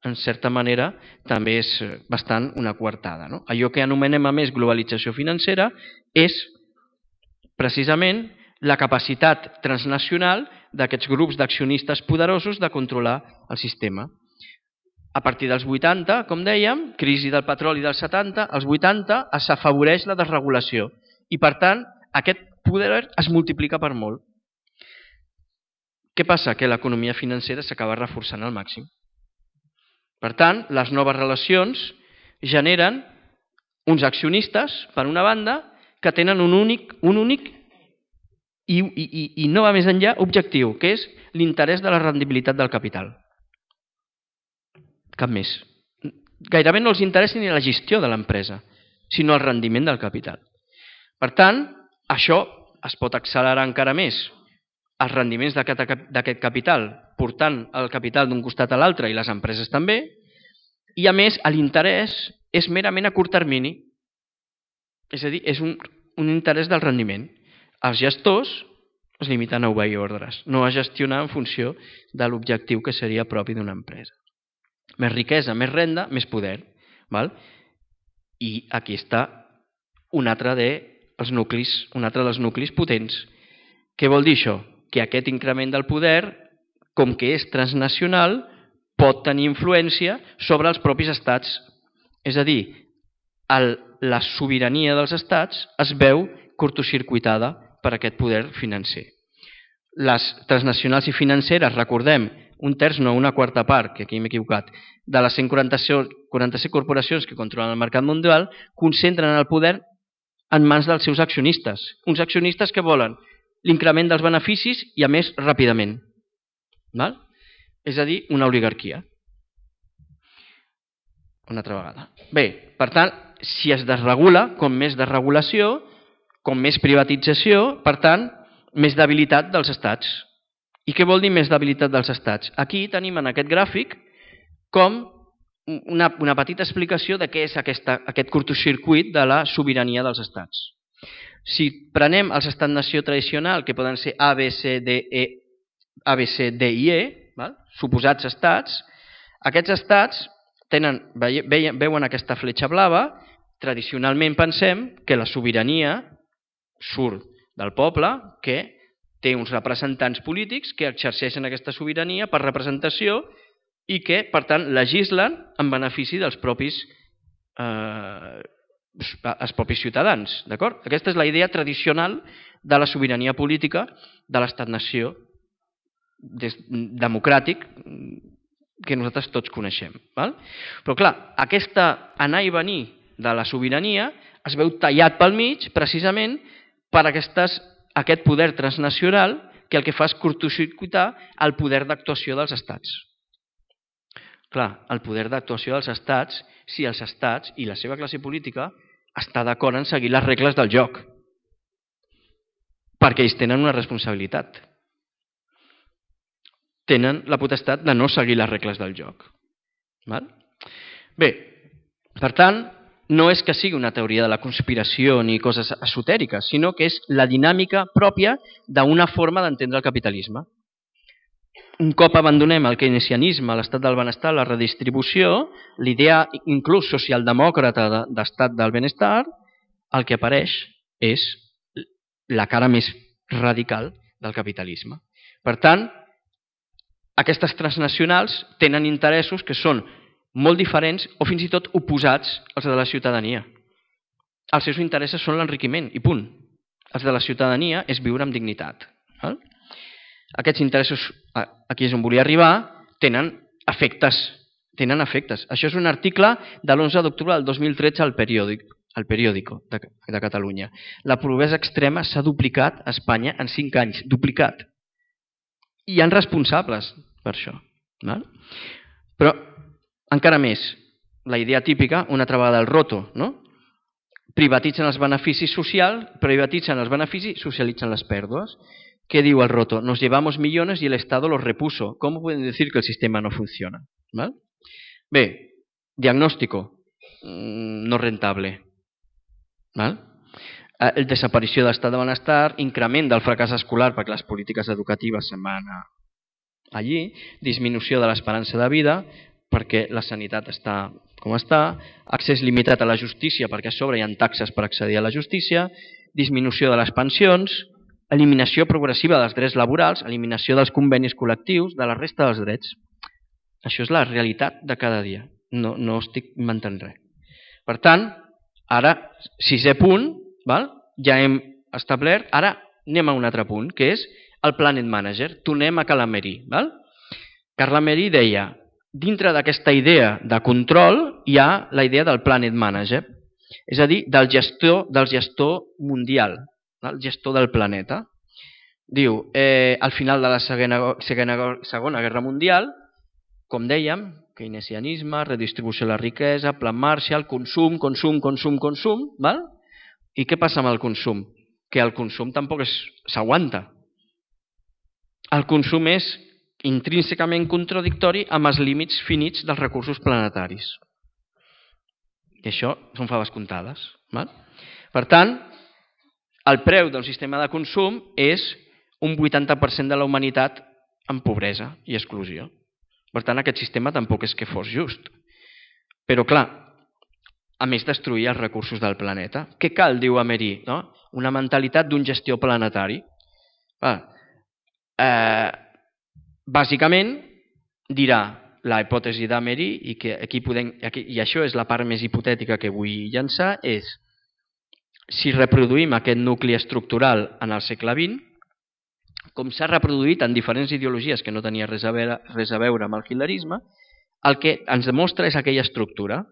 en certa manera, també és bastant una coartada. Allò que anomenem a més globalització financera és precisament la capacitat transnacional d'aquests grups d'accionistes poderosos de controlar el sistema. A partir dels 80, com dèiem, crisi del petroli dels 70, als 80 s'afavoreix la desregulació i, per tant, aquest poder es multiplica per molt. Què passa? Que l'economia financera s'acaba reforçant al màxim. Per tant, les noves relacions generen uns accionistes, per una banda, que tenen un únic i no va més enllà objectiu, que és l'interès de la rendibilitat del capital. Cap més. Gairebé no els interessa ni la gestió de l'empresa, sinó el rendiment del capital. Per tant, això es pot accelerar encara més els rendiments d'aquest capital, portant el capital d'un costat a l'altre i les empreses també, i a més l'interès és merament a curt termini, és a dir, és un interès del rendiment. Els gestors es limiten a obeir ordres, no a gestionar en funció de l'objectiu que seria propi d'una empresa. Més riquesa, més renda, més poder. Val? I aquí està un altre dels nuclis potents. Què vol dir això? Que aquest increment del poder, com que és transnacional, pot tenir influència sobre els propis estats. És a dir, la sobirania dels estats es veu curtocircuitada per aquest poder financer. Les transnacionals i financeres, recordem, un terç, no, una quarta part, que aquí m'he equivocat, de les 147 corporacions que controlen el mercat mundial, concentren el poder en mans dels seus accionistes. Uns accionistes que volen l'increment dels beneficis i, a més, ràpidament. Val? És a dir, una oligarquia. Una altra vegada. Bé, per tant, si es desregula, com més desregulació, com més privatització, per tant, més debilitat dels estats. I què vol dir més debilitat dels estats? Aquí tenim en aquest gràfic com una petita explicació de què és aquest curtocircuit de la sobirania dels estats. Si prenem els estats-nació tradicional, que poden ser A, B, C, D i E, val? Suposats estats, aquests estats veuen aquesta fletxa blava, tradicionalment pensem que la sobirania surt del poble, que té uns representants polítics que exerceixen aquesta sobirania per representació i que, per tant, legislen en benefici dels propis ciutadans. D'acord? Aquesta és la idea tradicional de la sobirania política de l'estat-nació democràtic que nosaltres tots coneixem. Val? Però, clar, aquesta anar i venir de la sobirania es veu tallat pel mig, precisament, per aquest poder transnacional que el que fa és curtocircuitar el poder d'actuació dels estats. Clar, el poder d'actuació dels estats, si els estats i la seva classe política està d'acord en seguir les regles del joc, perquè ells tenen una responsabilitat. Tenen la potestat de no seguir les regles del joc. Val? Bé, per tant, no és que sigui una teoria de la conspiració ni coses esotèriques, sinó que és la dinàmica pròpia d'una forma d'entendre el capitalisme. Un cop abandonem el keynesianisme, l'estat del benestar, la redistribució, l'idea inclús socialdemòcrata d'estat del benestar, el que apareix és la cara més radical del capitalisme. Per tant, aquestes transnacionals tenen interessos que són molt diferents o fins i tot oposats als de la ciutadania. Els seus interessos són l'enriquiment i punt. Els de la ciutadania és viure amb dignitat. Aquests interessos, aquí és on volia arribar, tenen efectes. Això és un article de l'11 d'octubre del 2013 al Periódico de Catalunya. La pobresa extrema s'ha duplicat a Espanya en 5 anys. Duplicat. I hi ha responsables per això. Però encara més, la idea típica, una altra vegada del roto, no? Privatitzen els beneficis socials, privatitzen els beneficis, socialitzen les pèrdues. ¿Qué diu el roto? Nos llevamos millones y el Estado los repuso. ¿Cómo pueden decir que el sistema no funciona? ¿Val? Bé, diagnóstico, no rentable. ¿Val? El desaparició de l'estat de benestar, increment del fracàs escolar perquè les polítiques educatives se'n van allí, disminució de l'esperança de vida perquè la sanitat està com està, accés limitat a la justícia perquè a sobre hi ha taxes per accedir a la justícia, disminució de les pensions, eliminació progressiva dels drets laborals, eliminació dels convenis col·lectius, de la resta dels drets. Això és la realitat de cada dia. No estic inventant res. Per tant, ara, 6è punt, ja hem establert, ara anem a un altre punt, que és el Planet Manager. Tornem a Carla Meri. Carla Meri deia, dintre d'aquesta idea de control hi ha la idea del Planet Manager, és a dir, del gestor mundial, el gestor del planeta. Diu, al final de la Segona Guerra Mundial, com dèiem, keynesianisme, redistribució de la riquesa, plan Marshall, consum. I què passa amb el consum? Que el consum tampoc s'aguanta. El consum és intrínsecament contradictori amb els límits finits dels recursos planetaris. I això són faves comptades. Per tant, el preu d'un sistema de consum és un 80% de la humanitat en pobresa i exclusió. Per tant, aquest sistema tampoc és que fos just. Però, clar, a més destruir els recursos del planeta. Què cal, diu Ameri? Una mentalitat d'un gestor planetari. Bàsicament, dirà la hipòtesi d'Ameri, i això és la part més hipotètica que vull llançar, és si reproduïm aquest nucli estructural en el segle XX, com s'ha reproduït en diferents ideologies que no tenia res a veure amb el hitlerisme, el que ens demostra és aquella estructura.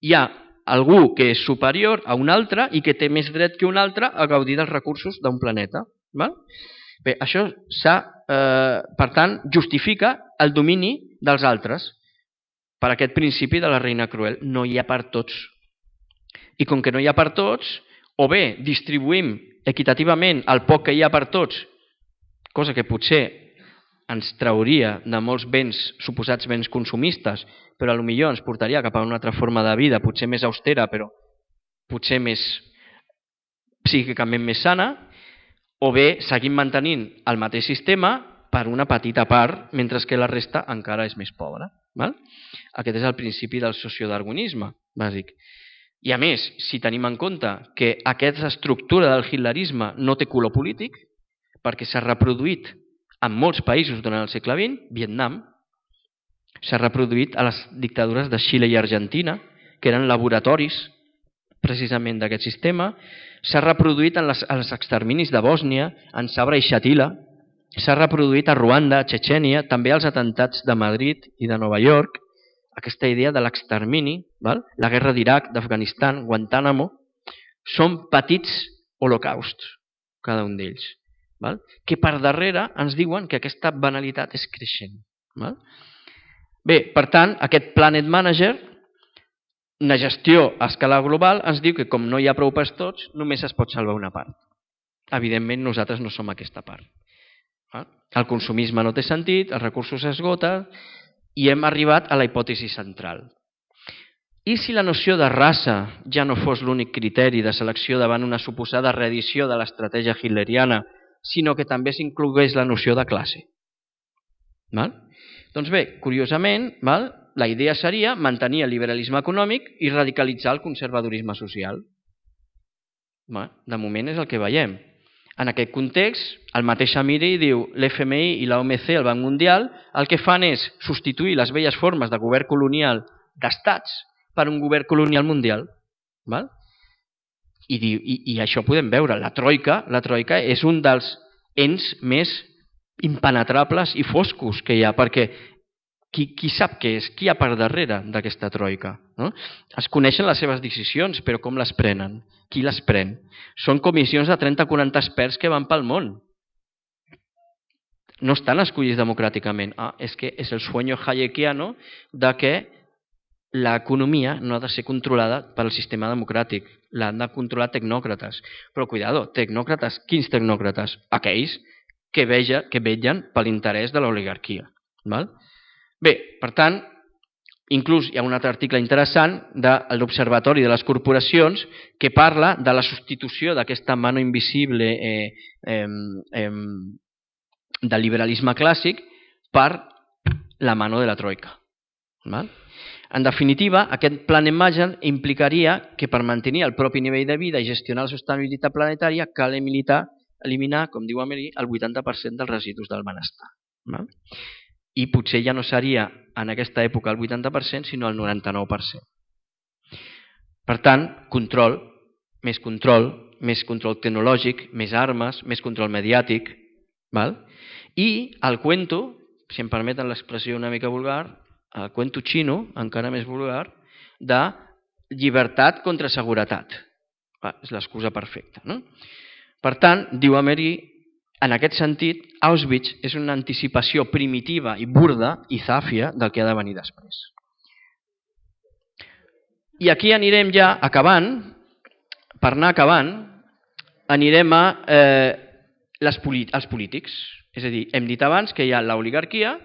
Hi ha algú que és superior a un altre i que té més dret que un altre a gaudir dels recursos d'un planeta. Bé, això per tant, justifica el domini dels altres per aquest principi de la reina cruel. No hi ha per tots. I com que no hi ha per tots, o bé distribuïm equitativament el poc que hi ha per tots, cosa que potser ens trauria de molts suposats béns consumistes, però potser ens portaria cap a una altra forma de vida, potser més austera, però potser més psíquicament més sana, o bé seguim mantenint el mateix sistema per una petita part, mentre que la resta encara és més pobra. Aquest és el principi del sociodarwinisme bàsic. I a més, si tenim en compte que aquesta estructura del hitlerisme no té color polític, perquè s'ha reproduït en molts països durant el segle XX, Vietnam, s'ha reproduït a les dictadures de Xile i Argentina, que eren laboratoris precisament d'aquest sistema, s'ha reproduït als exterminis de Bòsnia, en Sabra i Shatila, s'ha reproduït a Ruanda, a Txetxènia, també als atentats de Madrid i de Nova York, aquesta idea de l'extermini, la guerra d'Iraq, d'Afganistan, Guantánamo, són petits holocausts, cada un d'ells, que per darrere ens diuen que aquesta banalitat és creixent. Bé, per tant, aquest Planet Manager, una gestió a escala global, ens diu que com no hi ha prou per tots, només es pot salvar una part. Evidentment, nosaltres no som aquesta part. El consumisme no té sentit, els recursos s'esgoten i hem arribat a la hipòtesi central. I si la noció de raça ja no fos l'únic criteri de selecció davant una suposada reedició de l'estratègia hitleriana, sinó que també s'inclogués la noció de classe? Doncs bé, curiosament, la idea seria mantenir el liberalisme econòmic i radicalitzar el conservadorisme social. De moment és el que veiem. En aquest context, el mateix Amiri diu l'FMI i l'OMC, el Banc Mundial, el que fan és substituir les velles formes de govern colonial d'estats per un govern colonial mundial. I això podem veure. La troika és un dels ens més impenetrables i foscos que hi ha, perquè qui sap què és? Qui hi ha per darrere d'aquesta troika? Es coneixen les seves decisions, però com les prenen? Qui les pren? Són comissions de 30-40 experts que van pel món. No estan escollits democràticament. És que és el sueño hayekiano de que l'economia no ha de ser controlada pel sistema democràtic. L'han de controlar tecnòcrates. Però, cuidado, tecnòcrates, quins tecnòcrates? Aquells que vetllen per l'interès de l'oligarquia. Bé, per tant, inclús hi ha un altre article interessant de l'Observatori de les Corporacions que parla de la substitució d'aquesta mano invisible del liberalisme clàssic per la mano de la troika. En definitiva, aquest Planet Manager implicaria que per mantenir el propi nivell de vida i gestionar la sostenibilitat planetària cal eliminar, com diu Ameri, el 80% dels residus del benestar. i potser ja no seria en aquesta època el 80%, sinó el 99%. Per tant, control tecnològic, més armes, més control mediàtic. Val? I el cuento, si em permeten l'expressió una mica vulgar, el cuento xino, encara més vulgar, de llibertat contra seguretat. És l'excusa perfecta. No? Per tant, diu Emery, en aquest sentit, Auschwitz és una anticipació primitiva i burda i zàfia del que ha de venir després. I aquí anirem ja acabant, per anar acabant, anirem a els polítics. És a dir, hem dit abans que hi ha l'oligarquia,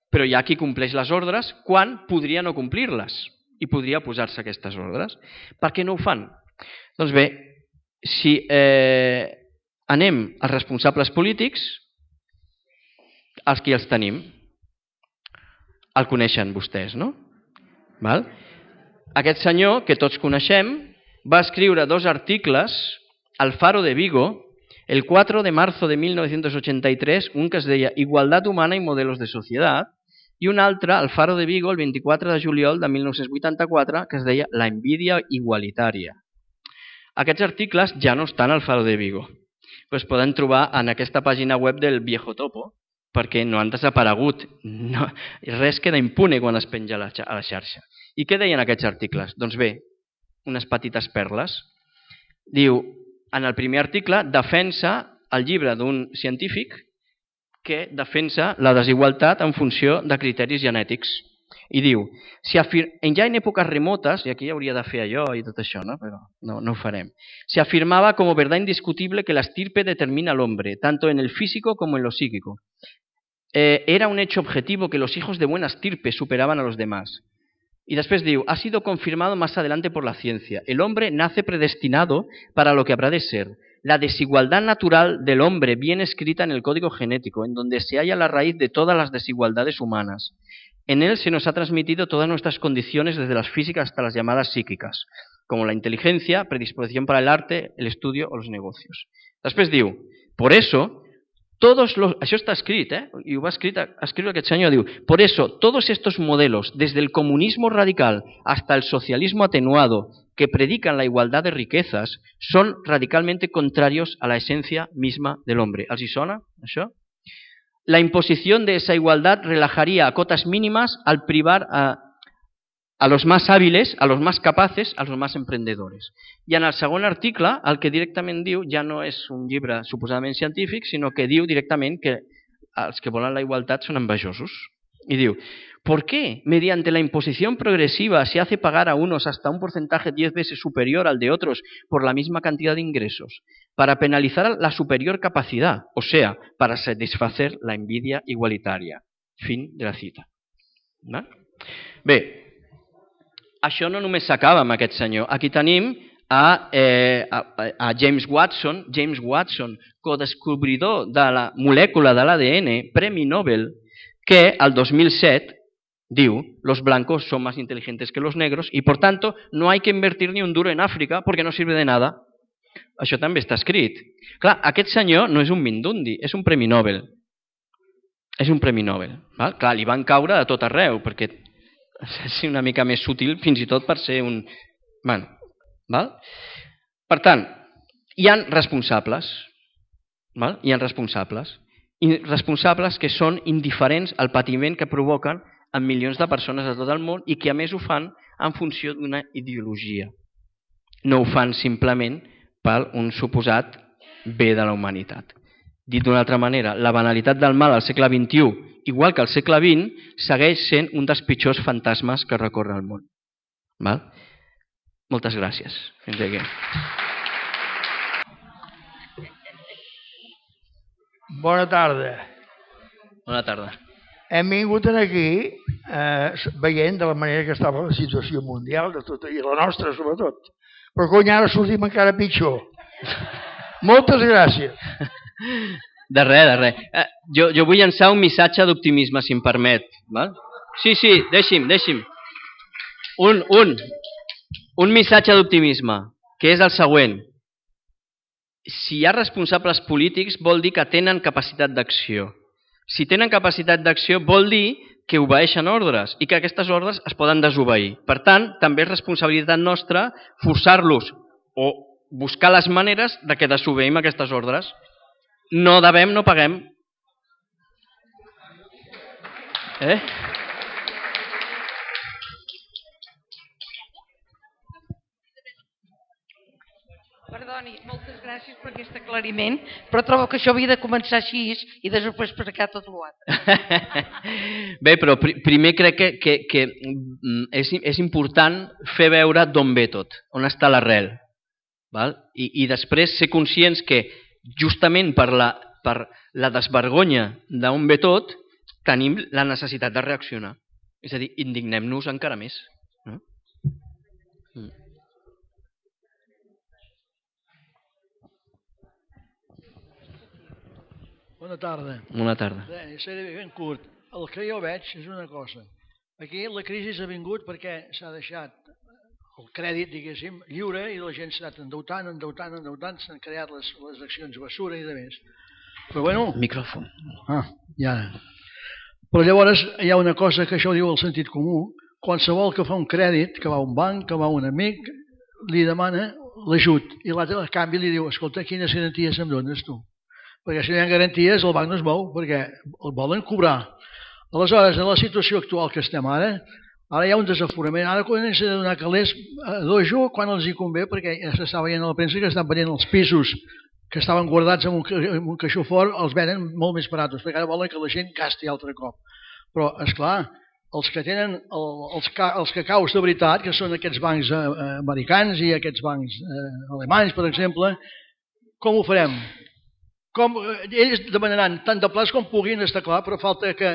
però hi ha qui compleix les ordres quan podria no complir-les i podria posar-se aquestes ordres. Per què no ho fan? Doncs bé, si anem als responsables polítics, els que els tenim, el coneixen vostès, no? Val? Aquest senyor, que tots coneixem, va escriure 2 articles al Faro de Vigo el 4 de marzo de 1983, un que es deia Igualdad humana y modelos de sociedad, i un altre al Faro de Vigo el 24 de juliol de 1984, que es deia La envidia igualitària. Aquests articles ja no estan al Faro de Vigo, però es poden trobar en aquesta pàgina web del Viejo Topo, perquè no han desaparegut. No, res queda impune quan es penja a la xarxa. I què deien aquests articles? Doncs bé, unes petites perles. Diu, en el primer article, defensa el llibre d'un científic que defensa la desigualtat en funció de criteris genètics. I diu, ja en èpoques remotes, i aquí hauria de fer allò i tot això, ¿no? Però no ho farem, se afirmaba como verdad indiscutible que la estirpe determina al hombre, tanto en el físico como en lo psíquico. Era un hecho objetivo que los hijos de buena estirpe superaban a los demás. Y después digo, ha sido confirmado más adelante por la ciencia. El hombre nace predestinado para lo que habrá de ser. La desigualdad natural del hombre viene escrita en el código genético, en donde se halla la raíz de todas las desigualdades humanas. En él se nos ha transmitido todas nuestras condiciones, desde las físicas hasta las llamadas psíquicas, como la inteligencia, predisposición para el arte, el estudio o los negocios. Després diu, por eso, això està escrit, i ho va escriure aquest senyor, diu, por eso, todos estos modelos, desde el comunismo radical hasta el socialismo atenuado, que predican la igualdad de riquezas, son radicalmente contrarios a la esencia misma del hombre. ¿Els hi sona, això? La imposición de esa igualdad relajaría a cotas mínimas al privar a los más hábiles, a los más capaces, a los más emprendedores. I en el segon article, el que directament diu, ja no és un llibre suposadament científic, sinó que diu directament que els que volen la igualtat són envejosos. Y diu, ¿por qué mediante la imposición progresiva se hace pagar a unos hasta un porcentaje 10 veces superior al de otros por la misma cantidad de ingresos? Para penalizar la superior capacidad, o sea, para satisfacer la envidia igualitaria. Fin de la cita. Bé, això no només s'acaba amb aquest senyor. Aquí tenim a James Watson, codescobridor de la molècula de l'ADN, Premi Nobel, que el 2007 diu, los blancos son más inteligentes que los negros y por tanto no hay que invertir ni un duro en Àfrica porque no sirve de nada. Això també està escrit. Clar, aquest senyor no és un Mindundi, és un Premi Nobel. És un Premi Nobel. Val? Clar, li van caure de tot arreu, perquè és una mica més sutil fins i tot per ser un... Bueno, val? Per tant, hi ha responsables. Val? Hi ha responsables. I responsables que són indiferents al patiment que provoquen a milions de persones de tot el món i que a més ho fan en funció d'una ideologia. No ho fan simplement per un suposat bé de la humanitat. Dit d'una altra manera, la banalitat del mal al segle XXI, igual que al segle XX, segueix sent un dels pitjors fantasmes que recorre el món. Val? Moltes gràcies. Fins aquí. Bona tarda. Bona tarda. Hem vingut aquí veient de la manera que estava la situació mundial de tot, i la nostra sobretot. Però cony, ara sortim encara pitjor. Moltes gràcies. De res. Jo vull llançar un missatge d'optimisme, si em permet. Val? Sí, deixi'm. Un missatge d'optimisme, que és el següent. Si hi ha responsables polítics vol dir que tenen capacitat d'acció. Si tenen capacitat d'acció vol dir que obeeixen ordres i que aquestes ordres es poden desobeir. Per tant, també és responsabilitat nostra forçar-los o buscar les maneres de que desobeïm aquestes ordres. No devem, no paguem. Perdoni, moltes gràcies per aquest aclariment, però trobo que això havia de començar així i després explicar tot l'altre. Bé, però primer crec que és important fer veure d'on ve tot, on està l'arrel. I després ser conscients que justament per la desvergonya d'on ve tot tenim la necessitat de reaccionar. És a dir, indignem-nos encara més. Bona tarda. Bona tarda. Seré ben curt. El que jo veig és una cosa. Aquí la crisi ha vingut perquè s'ha deixat el crèdit, diguéssim, lliure i la gent s'ha anat endeutant, s'han creat les accions basura i de més. Però bueno... Micròfon. Ja. Però llavors hi ha una cosa que això ho diu el sentit comú. Qualsevol que fa un crèdit, que va a un banc, que va a un amic, li demana l'ajut. I l'altre a canvi li diu, escolta, quines garanties em dones tu? Perquè si no hi ha garanties el banc no es mou, perquè el volen cobrar. Aleshores, en la situació actual que estem ara hi ha un desaforament. Ara comencen a donar calés a dojo quan els hi convé, perquè ja s'està veient a la premsa que estan venent els pisos que estaven guardats en un caixó fort, els venen molt més baratos, perquè ara volen que la gent gasti altre cop. Però, esclar, els que tenen els cacaus de veritat, que són aquests bancs americans i aquests bancs alemanys, per exemple, com ho farem? Ells demanaran tant de plats com puguin, està clar, però falta que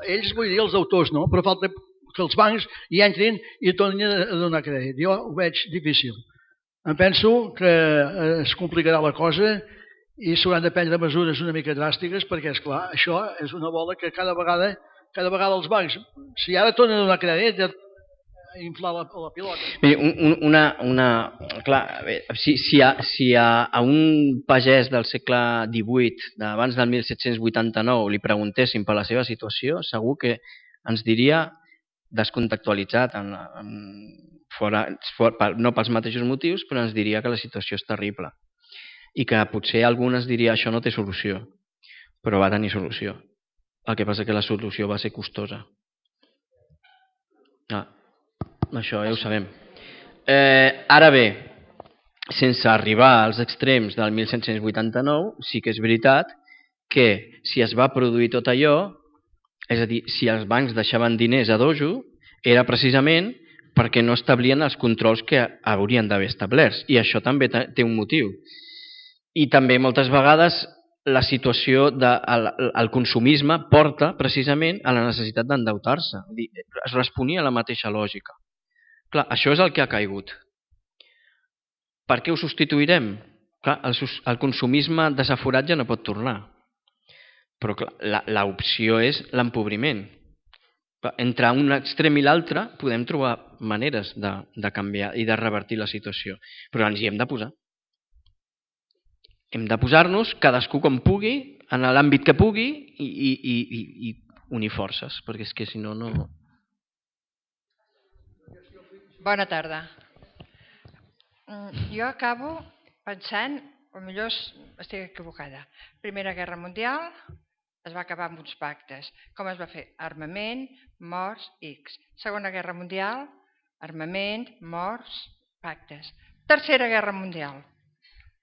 ells, vull dir els deutors, no? Però falta que els bancs hi entrin i tornin a donar crèdit. Jo ho veig difícil. Em penso que es complicarà la cosa i s'hauran de prendre mesures una mica dràstiques perquè, esclar, això és una bola que cada vegada els bancs, si ara tornen a donar crèdit, inflar la pilota. Si a un pagès del segle XVIII, d'abans del 1789, li preguntéssim per la seva situació, segur que ens diria descontextualitzat, no pels mateixos motius, però ens diria que la situació és terrible. I que potser algú ens diria això no té solució, però va tenir solució. El que passa que la solució va ser costosa. Això ja ho sabem. Ara bé, sense arribar als extrems del 1789, sí que és veritat que si es va produir tot allò, és a dir, si els bancs deixaven diners a dojo, era precisament perquè no establien els controls que haurien d'haver establerts. I això també té un motiu. I també moltes vegades la situació del consumisme porta precisament a la necessitat d'endeutar-se. Es responia a la mateixa lògica. Clar, això és el que ha caigut. Per què ho substituirem? Clar, el consumisme desaforat ja no pot tornar. Però l'opció és l'empobriment. Entre un extrem i l'altre podem trobar maneres de canviar i de revertir la situació. Però ens hi hem de posar. Hem de posar-nos, cadascú com pugui, en l'àmbit que pugui, i unir forces, perquè és que si no, no... Bona tarda. Jo acabo pensant, potser estic equivocada, Primera Guerra Mundial es va acabar amb uns pactes. Com es va fer? Armament, morts, X. Segona Guerra Mundial, armament, morts, pactes. Tercera Guerra Mundial,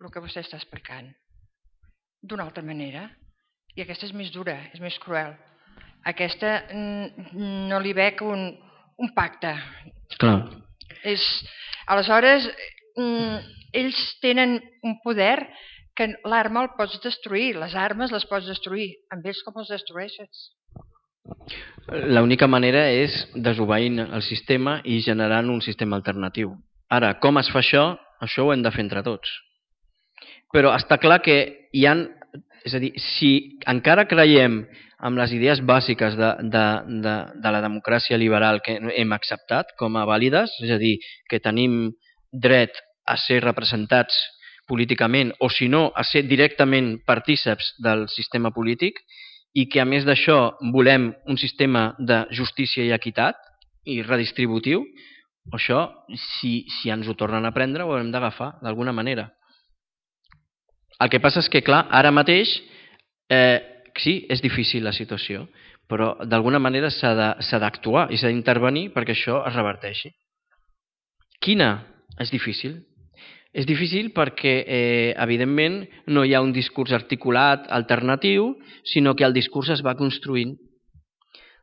el que vostè està explicant, d'una altra manera. I aquesta és més dura, és més cruel. Aquesta no li veig un pacte. Clar. Aleshores, ells tenen un poder que l'arma el pots destruir, les armes les pots destruir. Amb ells com els destrueixes? L'única manera és desobeint el sistema i generant un sistema alternatiu. Ara, com es fa això? Això ho hem de fer entre tots. Però està clar que hi ha... És a dir, si encara creiem en les idees bàsiques de la democràcia liberal que hem acceptat com a vàlides, és a dir, que tenim dret a ser representats políticament o, si no, a ser directament partíceps del sistema polític i que a més d'això volem un sistema de justícia i equitat i redistributiu, això, si ens ho tornen a prendre, ho haurem d'agafar d'alguna manera. El que passa és que, clar, ara mateix, sí, és difícil la situació, però d'alguna manera s'ha d'actuar i s'ha d'intervenir perquè això es reverteixi. Quina? És difícil. És difícil perquè, evidentment, no hi ha un discurs articulat alternatiu, sinó que el discurs es va construint.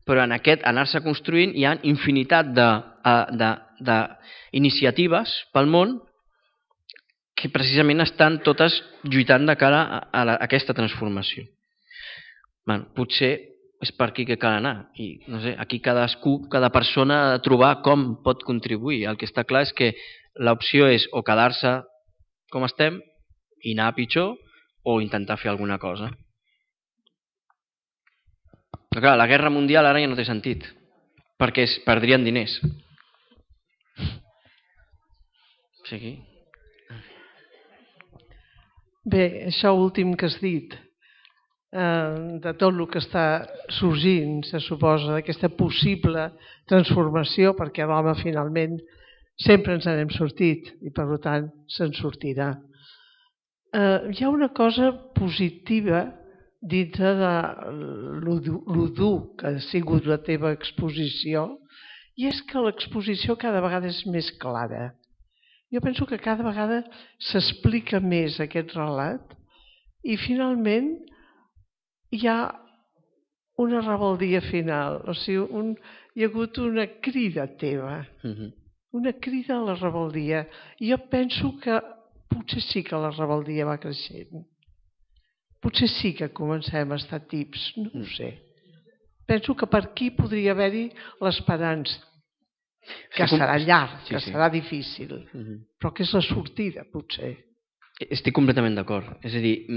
Però en aquest anar-se construint hi ha infinitat d'iniciatives pel món que precisament estan totes lluitant de cara a aquesta transformació. Potser és per aquí que cal anar. I, no sé, aquí cadascú, cada persona ha de trobar com pot contribuir. El que està clar és que l'opció és o quedar-se com estem i anar a pitjor o intentar fer alguna cosa. Però clar, la guerra mundial ara ja no té sentit, perquè es perdrien diners. O sigui... Bé, això últim que has dit, de tot el que està sorgint, se suposa, d'aquesta possible transformació, perquè l'home finalment sempre ens n'hem sortit i per tant se'n sortirà. Hi ha una cosa positiva dintre de lo dur que ha sigut la teva exposició, i és que l'exposició cada vegada és més clara. Jo penso que cada vegada s'explica més aquest relat i finalment hi ha una rebeldia final, o sigui, hi ha hagut una crida teva, una crida a la rebeldia. I jo penso que potser sí que la rebeldia va creixent. Potser sí que comencem a estar tips, no ho sé. Penso que per aquí podria haver-hi l'esperança, que serà llarg, que serà difícil, però que és la sortida, potser. Estic completament d'acord. És a dir,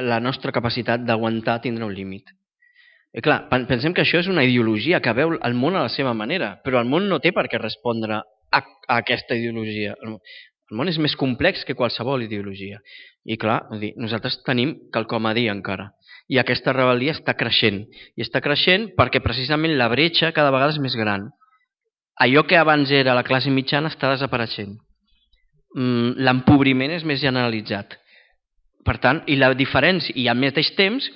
la nostra capacitat d'aguantar tindrà un límit. I clar, pensem que això és una ideologia que veu el món a la seva manera, però el món no té per què respondre a aquesta ideologia. El món és més complex que qualsevol ideologia. I clar, nosaltres tenim quelcom a dir encara. I aquesta rebel·lia està creixent. I està creixent perquè precisament la bretxa cada vegada és més gran. Allò que abans era la classe mitjana està desapareixent. L'empobriment és més generalitzat. Per tant, i la diferència, i al mateix temps,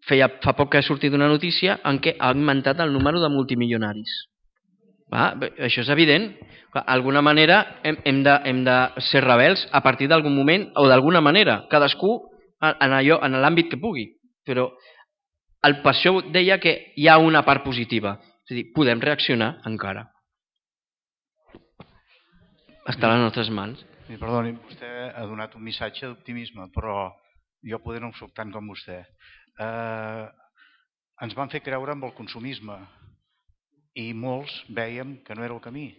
fa poc que ha sortit una notícia en què ha augmentat el número de multimilionaris. Això és evident. D'alguna manera hem de ser rebels a partir d'algun moment o d'alguna manera, cadascú en l'àmbit que pugui. Però per això deia que hi ha una part positiva. És a dir, podem reaccionar encara. Està a les nostres mans. Perdoni, vostè ha donat un missatge d'optimisme, però jo poder no em soc tant com vostè. Ens van fer creure amb el consumisme i molts vèiem que no era el camí,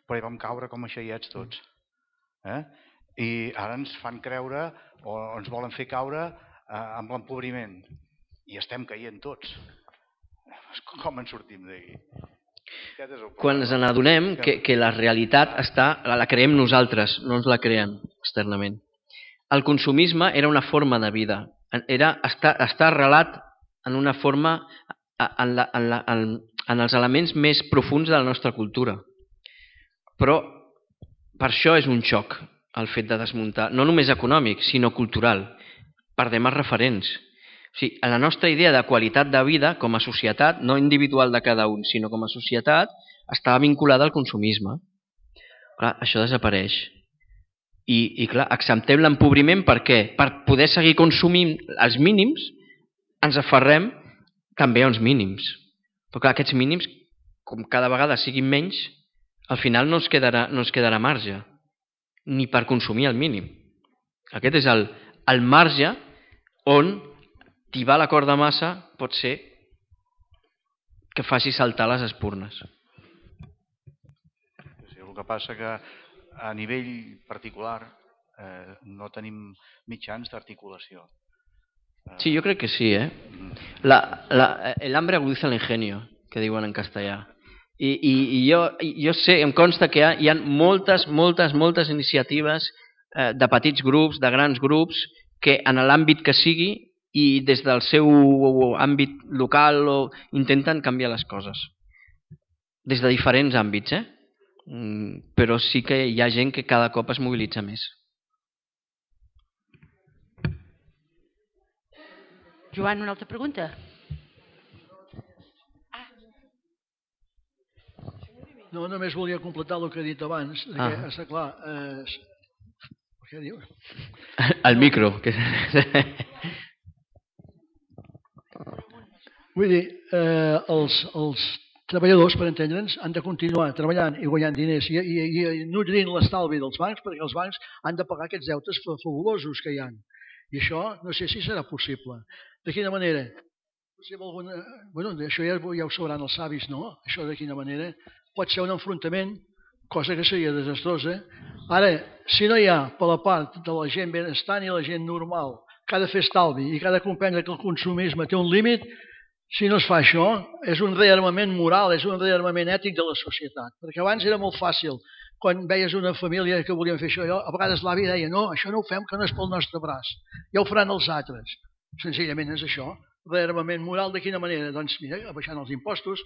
però hi vam caure com a xaiets tots. I ara ens fan creure o ens volen fer caure amb l'empobriment i estem caient tots. Com en sortim d'aquí? Quan ens n'adonem que la realitat la creem nosaltres, no ens la creem externament. El consumisme era una forma de vida, està arrelat en una forma, en els elements més profuns de la nostra cultura. Però per això és un xoc el fet de desmuntar, no només econòmic, sinó cultural. Perdem els referents. O sigui, la nostra idea de qualitat de vida com a societat, no individual de cada un, sinó com a societat, estava vinculada al consumisme. Clar, això desapareix. I clar, acceptem l'empobriment per què? Per poder seguir consumint els mínims, ens aferrem també a uns mínims. Però clar, aquests mínims, com cada vegada siguin menys, al final no ens quedarà marge, ni per consumir el mínim. Aquest és el marge on tibar la corda massa pot ser que faci saltar les espurnes. El que passa que a nivell particular no tenim mitjans d'articulació. Sí, jo crec que sí, el hambre agudiza el ingenio, que diuen en castellà. I jo sé, em consta que hi ha moltes iniciatives de petits grups, de grans grups, que en l'àmbit que sigui i des del seu àmbit local intenten canviar les coses. Des de diferents àmbits, però sí que hi ha gent que cada cop es mobilitza més. Joan, una altra pregunta? No, només volia completar el que he dit abans. Està clar. Què diu? El micro. Vull dir, els treballadors, per entendre'ns, han de continuar treballant i guanyant diners i nutrint l'estalvi dels bancs, perquè els bancs han de pagar aquests deutes fabulosos que hi ha. I això no sé si serà possible. De quina manera? Això ja ho sabran els savis, no? Això de quina manera? Pot ser un enfrontament, cosa que seria desastrosa. Ara, si no hi ha per la part de la gent benestant i la gent normal que ha de fer estalvi i que ha de comprendre que el consumisme té un límit, si no es fa això, és un rearmament moral, és un rearmament ètic de la societat. Perquè abans era molt fàcil, quan veies una família que volien fer això, a vegades l'avi deia, no, això no ho fem, que no és pel nostre braç, ja ho faran els altres. Senzillament és això. Rearmament moral de quina manera? Doncs mira, abaixant els impostos,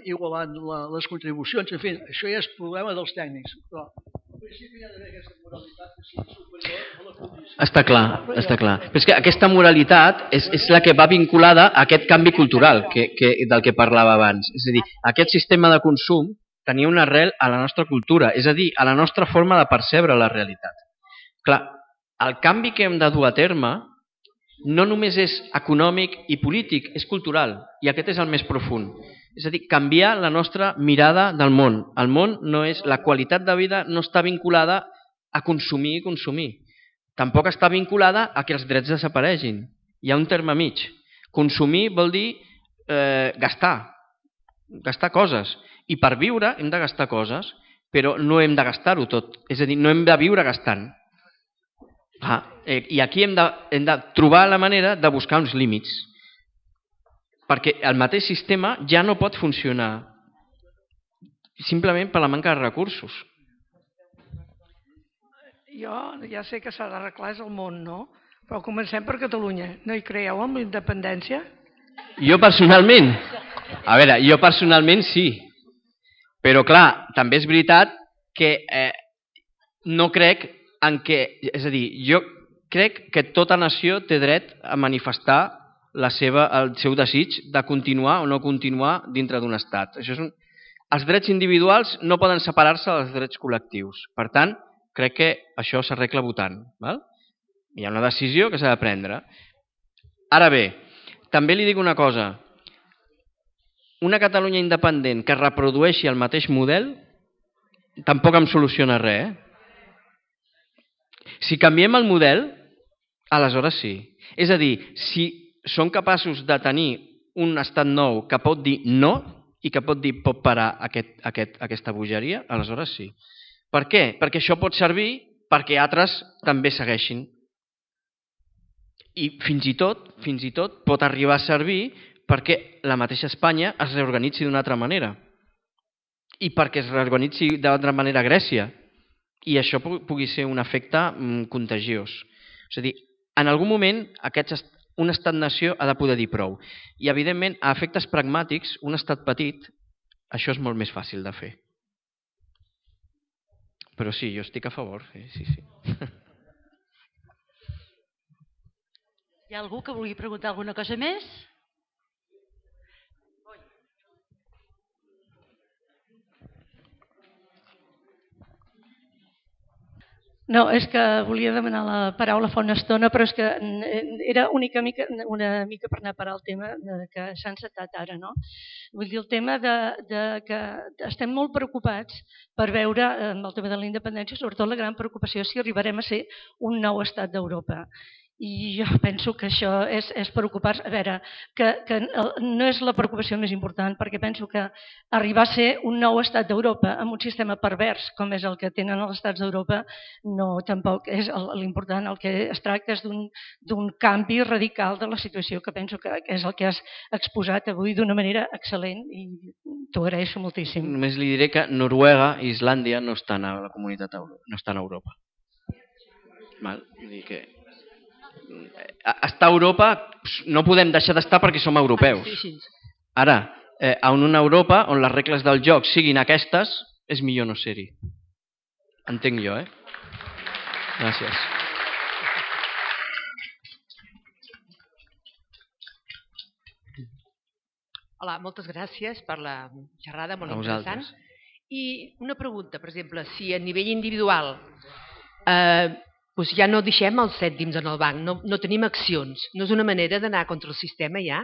igualant les contribucions, en fi, això ja és problema dels tècnics. Però en principi hi ha d'haver aquesta moralitat que sigui superior a la condició. Està clar, està clar. Però és que aquesta moralitat és la que va vinculada a aquest canvi cultural del que parlava abans. És a dir, aquest sistema de consum tenia una arrel a la nostra cultura, és a dir, a la nostra forma de percebre la realitat. Clar, el canvi que hem de dur a terme no només és econòmic i polític, és cultural, i aquest és el més profund. És a dir, canviar la nostra mirada del món. El món no és, la qualitat de vida no està vinculada a consumir i consumir. Tampoc està vinculada a que els drets desaparegin. Hi ha un terme mig. Consumir vol dir gastar coses. I per viure hem de gastar coses, però no hem de gastar-ho tot. És a dir, no hem de viure gastant. I aquí hem de trobar la manera de buscar uns límits, perquè el mateix sistema ja no pot funcionar simplement per la manca de recursos. Jo ja sé que s'ha d'arreglar el món, no? Però comencem per Catalunya. No hi creieu en la independència? Jo personalment sí, però clar, també és veritat que no crec és a dir, jo crec que tota nació té dret a manifestar el seu desig de continuar o no continuar dintre d'un estat. Els drets individuals no poden separar-se dels drets col·lectius. Per tant, crec que això s'arregla votant. Hi ha una decisió que s'ha de prendre. Ara bé, també li dic una cosa. Una Catalunya independent que reprodueixi el mateix model tampoc em soluciona res, Si canviem el model, aleshores sí. És a dir, si som capaços de tenir un estat nou que pot dir no i que pot dir pot parar aquesta bogeria, aleshores sí. Per què? Perquè això pot servir perquè altres també segueixin. I fins i tot pot arribar a servir perquè la mateixa Espanya es reorganitzi d'una altra manera. I perquè es reorganitzi d'altra manera Grècia. I això pugui ser un efecte contagiós. És a dir, en algun moment un estat-nació ha de poder dir prou. I evidentment, a efectes pragmàtics, un estat petit, això és molt més fàcil de fer. Però sí, jo estic a favor. Sí. Hi ha algú que vulgui preguntar alguna cosa més? No, és que volia demanar la paraula fa una estona, però és que era una mica per anar a parar el tema que s'ha encetat ara, no? Vull dir, el tema de que estem molt preocupats per veure amb el tema de la independència, sobretot la gran preocupació si arribarem a ser un nou estat d'Europa. I jo penso que això és preocupar-se. A veure, que no és la preocupació més important, perquè penso que arribar a ser un nou estat d'Europa amb un sistema pervers com és el que tenen els estats d'Europa no tampoc és l'important. El que es tracta és d'un canvi radical de la situació, que penso que és el que has exposat avui d'una manera excel·lent i t'ho agraeixo moltíssim. Només li diré que Noruega i Islàndia no estan a la comunitat, no estan a Europa. Vull dir que estar a Europa no podem deixar d'estar perquè som europeus. Ara, en una Europa on les regles del joc siguin aquestes, és millor no ser-hi. Entenc jo, Gràcies. Hola, moltes gràcies per la xerrada, molt interessant. I una pregunta, per exemple, si a nivell individual ja no deixem els cèntims en el banc, no tenim accions, no és una manera d'anar contra el sistema ja?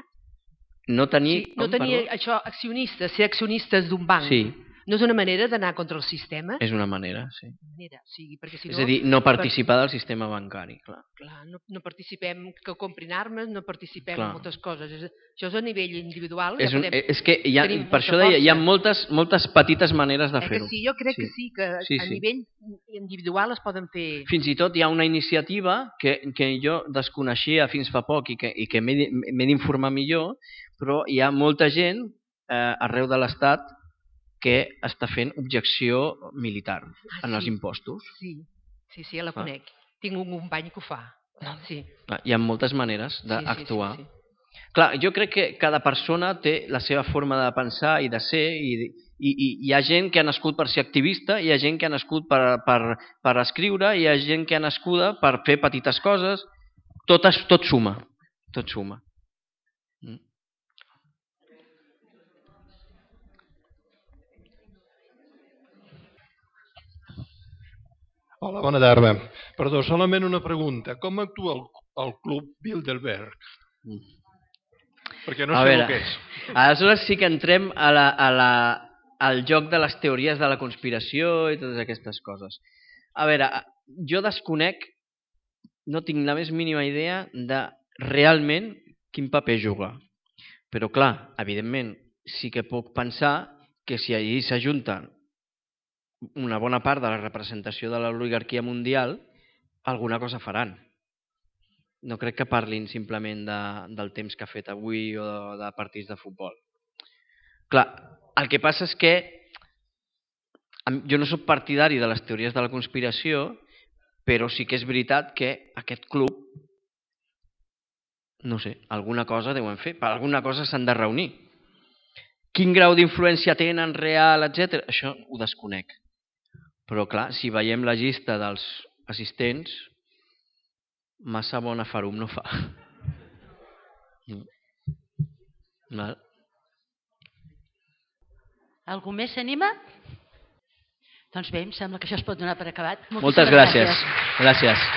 No tenir... No tenir això, accionistes, ser accionistes d'un banc. Sí. No és una manera d'anar contra el sistema? És una manera, sí. És a dir, no participar del sistema bancari, clar. Clar, no participem que comprin armes, no participem en moltes coses. Això és a nivell individual. És que per això deia, hi ha moltes petites maneres de fer-ho. Sí, jo crec que sí, que a nivell individual es poden fer... Fins i tot hi ha una iniciativa que jo desconeixia fins fa poc i que m'he d'informar millor, però hi ha molta gent arreu de l'Estat que està fent objecció militar en els impostos. Sí, la conec. Tinc un company que ho fa. Hi ha moltes maneres d'actuar. Clar, jo crec que cada persona té la seva forma de pensar i de ser, i hi ha gent que ha nascut per ser activista, hi ha gent que ha nascut per escriure, hi ha gent que ha nascuda per fer petites coses. Tot suma. Tot suma. Hola, bona tarda. Perdó, solament una pregunta. Com actua el Club Bilderberg? Perquè no sé el que és. Aleshores sí que entrem al joc de les teories de la conspiració i totes aquestes coses. A veure, jo desconec, no tinc la més mínima idea de realment quin paper juga. Però clar, evidentment, sí que puc pensar que si allí s'ajunten una bona part de la representació de l'oligarquia mundial, alguna cosa faran. No crec que parlin simplement del temps que ha fet avui o de partits de futbol. Clar, el que passa és que jo no soc partidari de les teories de la conspiració, però sí que és veritat que aquest club, no sé, alguna cosa deuen fer, per alguna cosa s'han de reunir. Quin grau d'influència tenen real, etc. Això ho desconec. Però clar, si veiem la llista dels assistents, massa bona farum no fa. Algú més s'anima? Doncs bé, em sembla que això es pot donar per acabat. Moltes gràcies. Gràcies.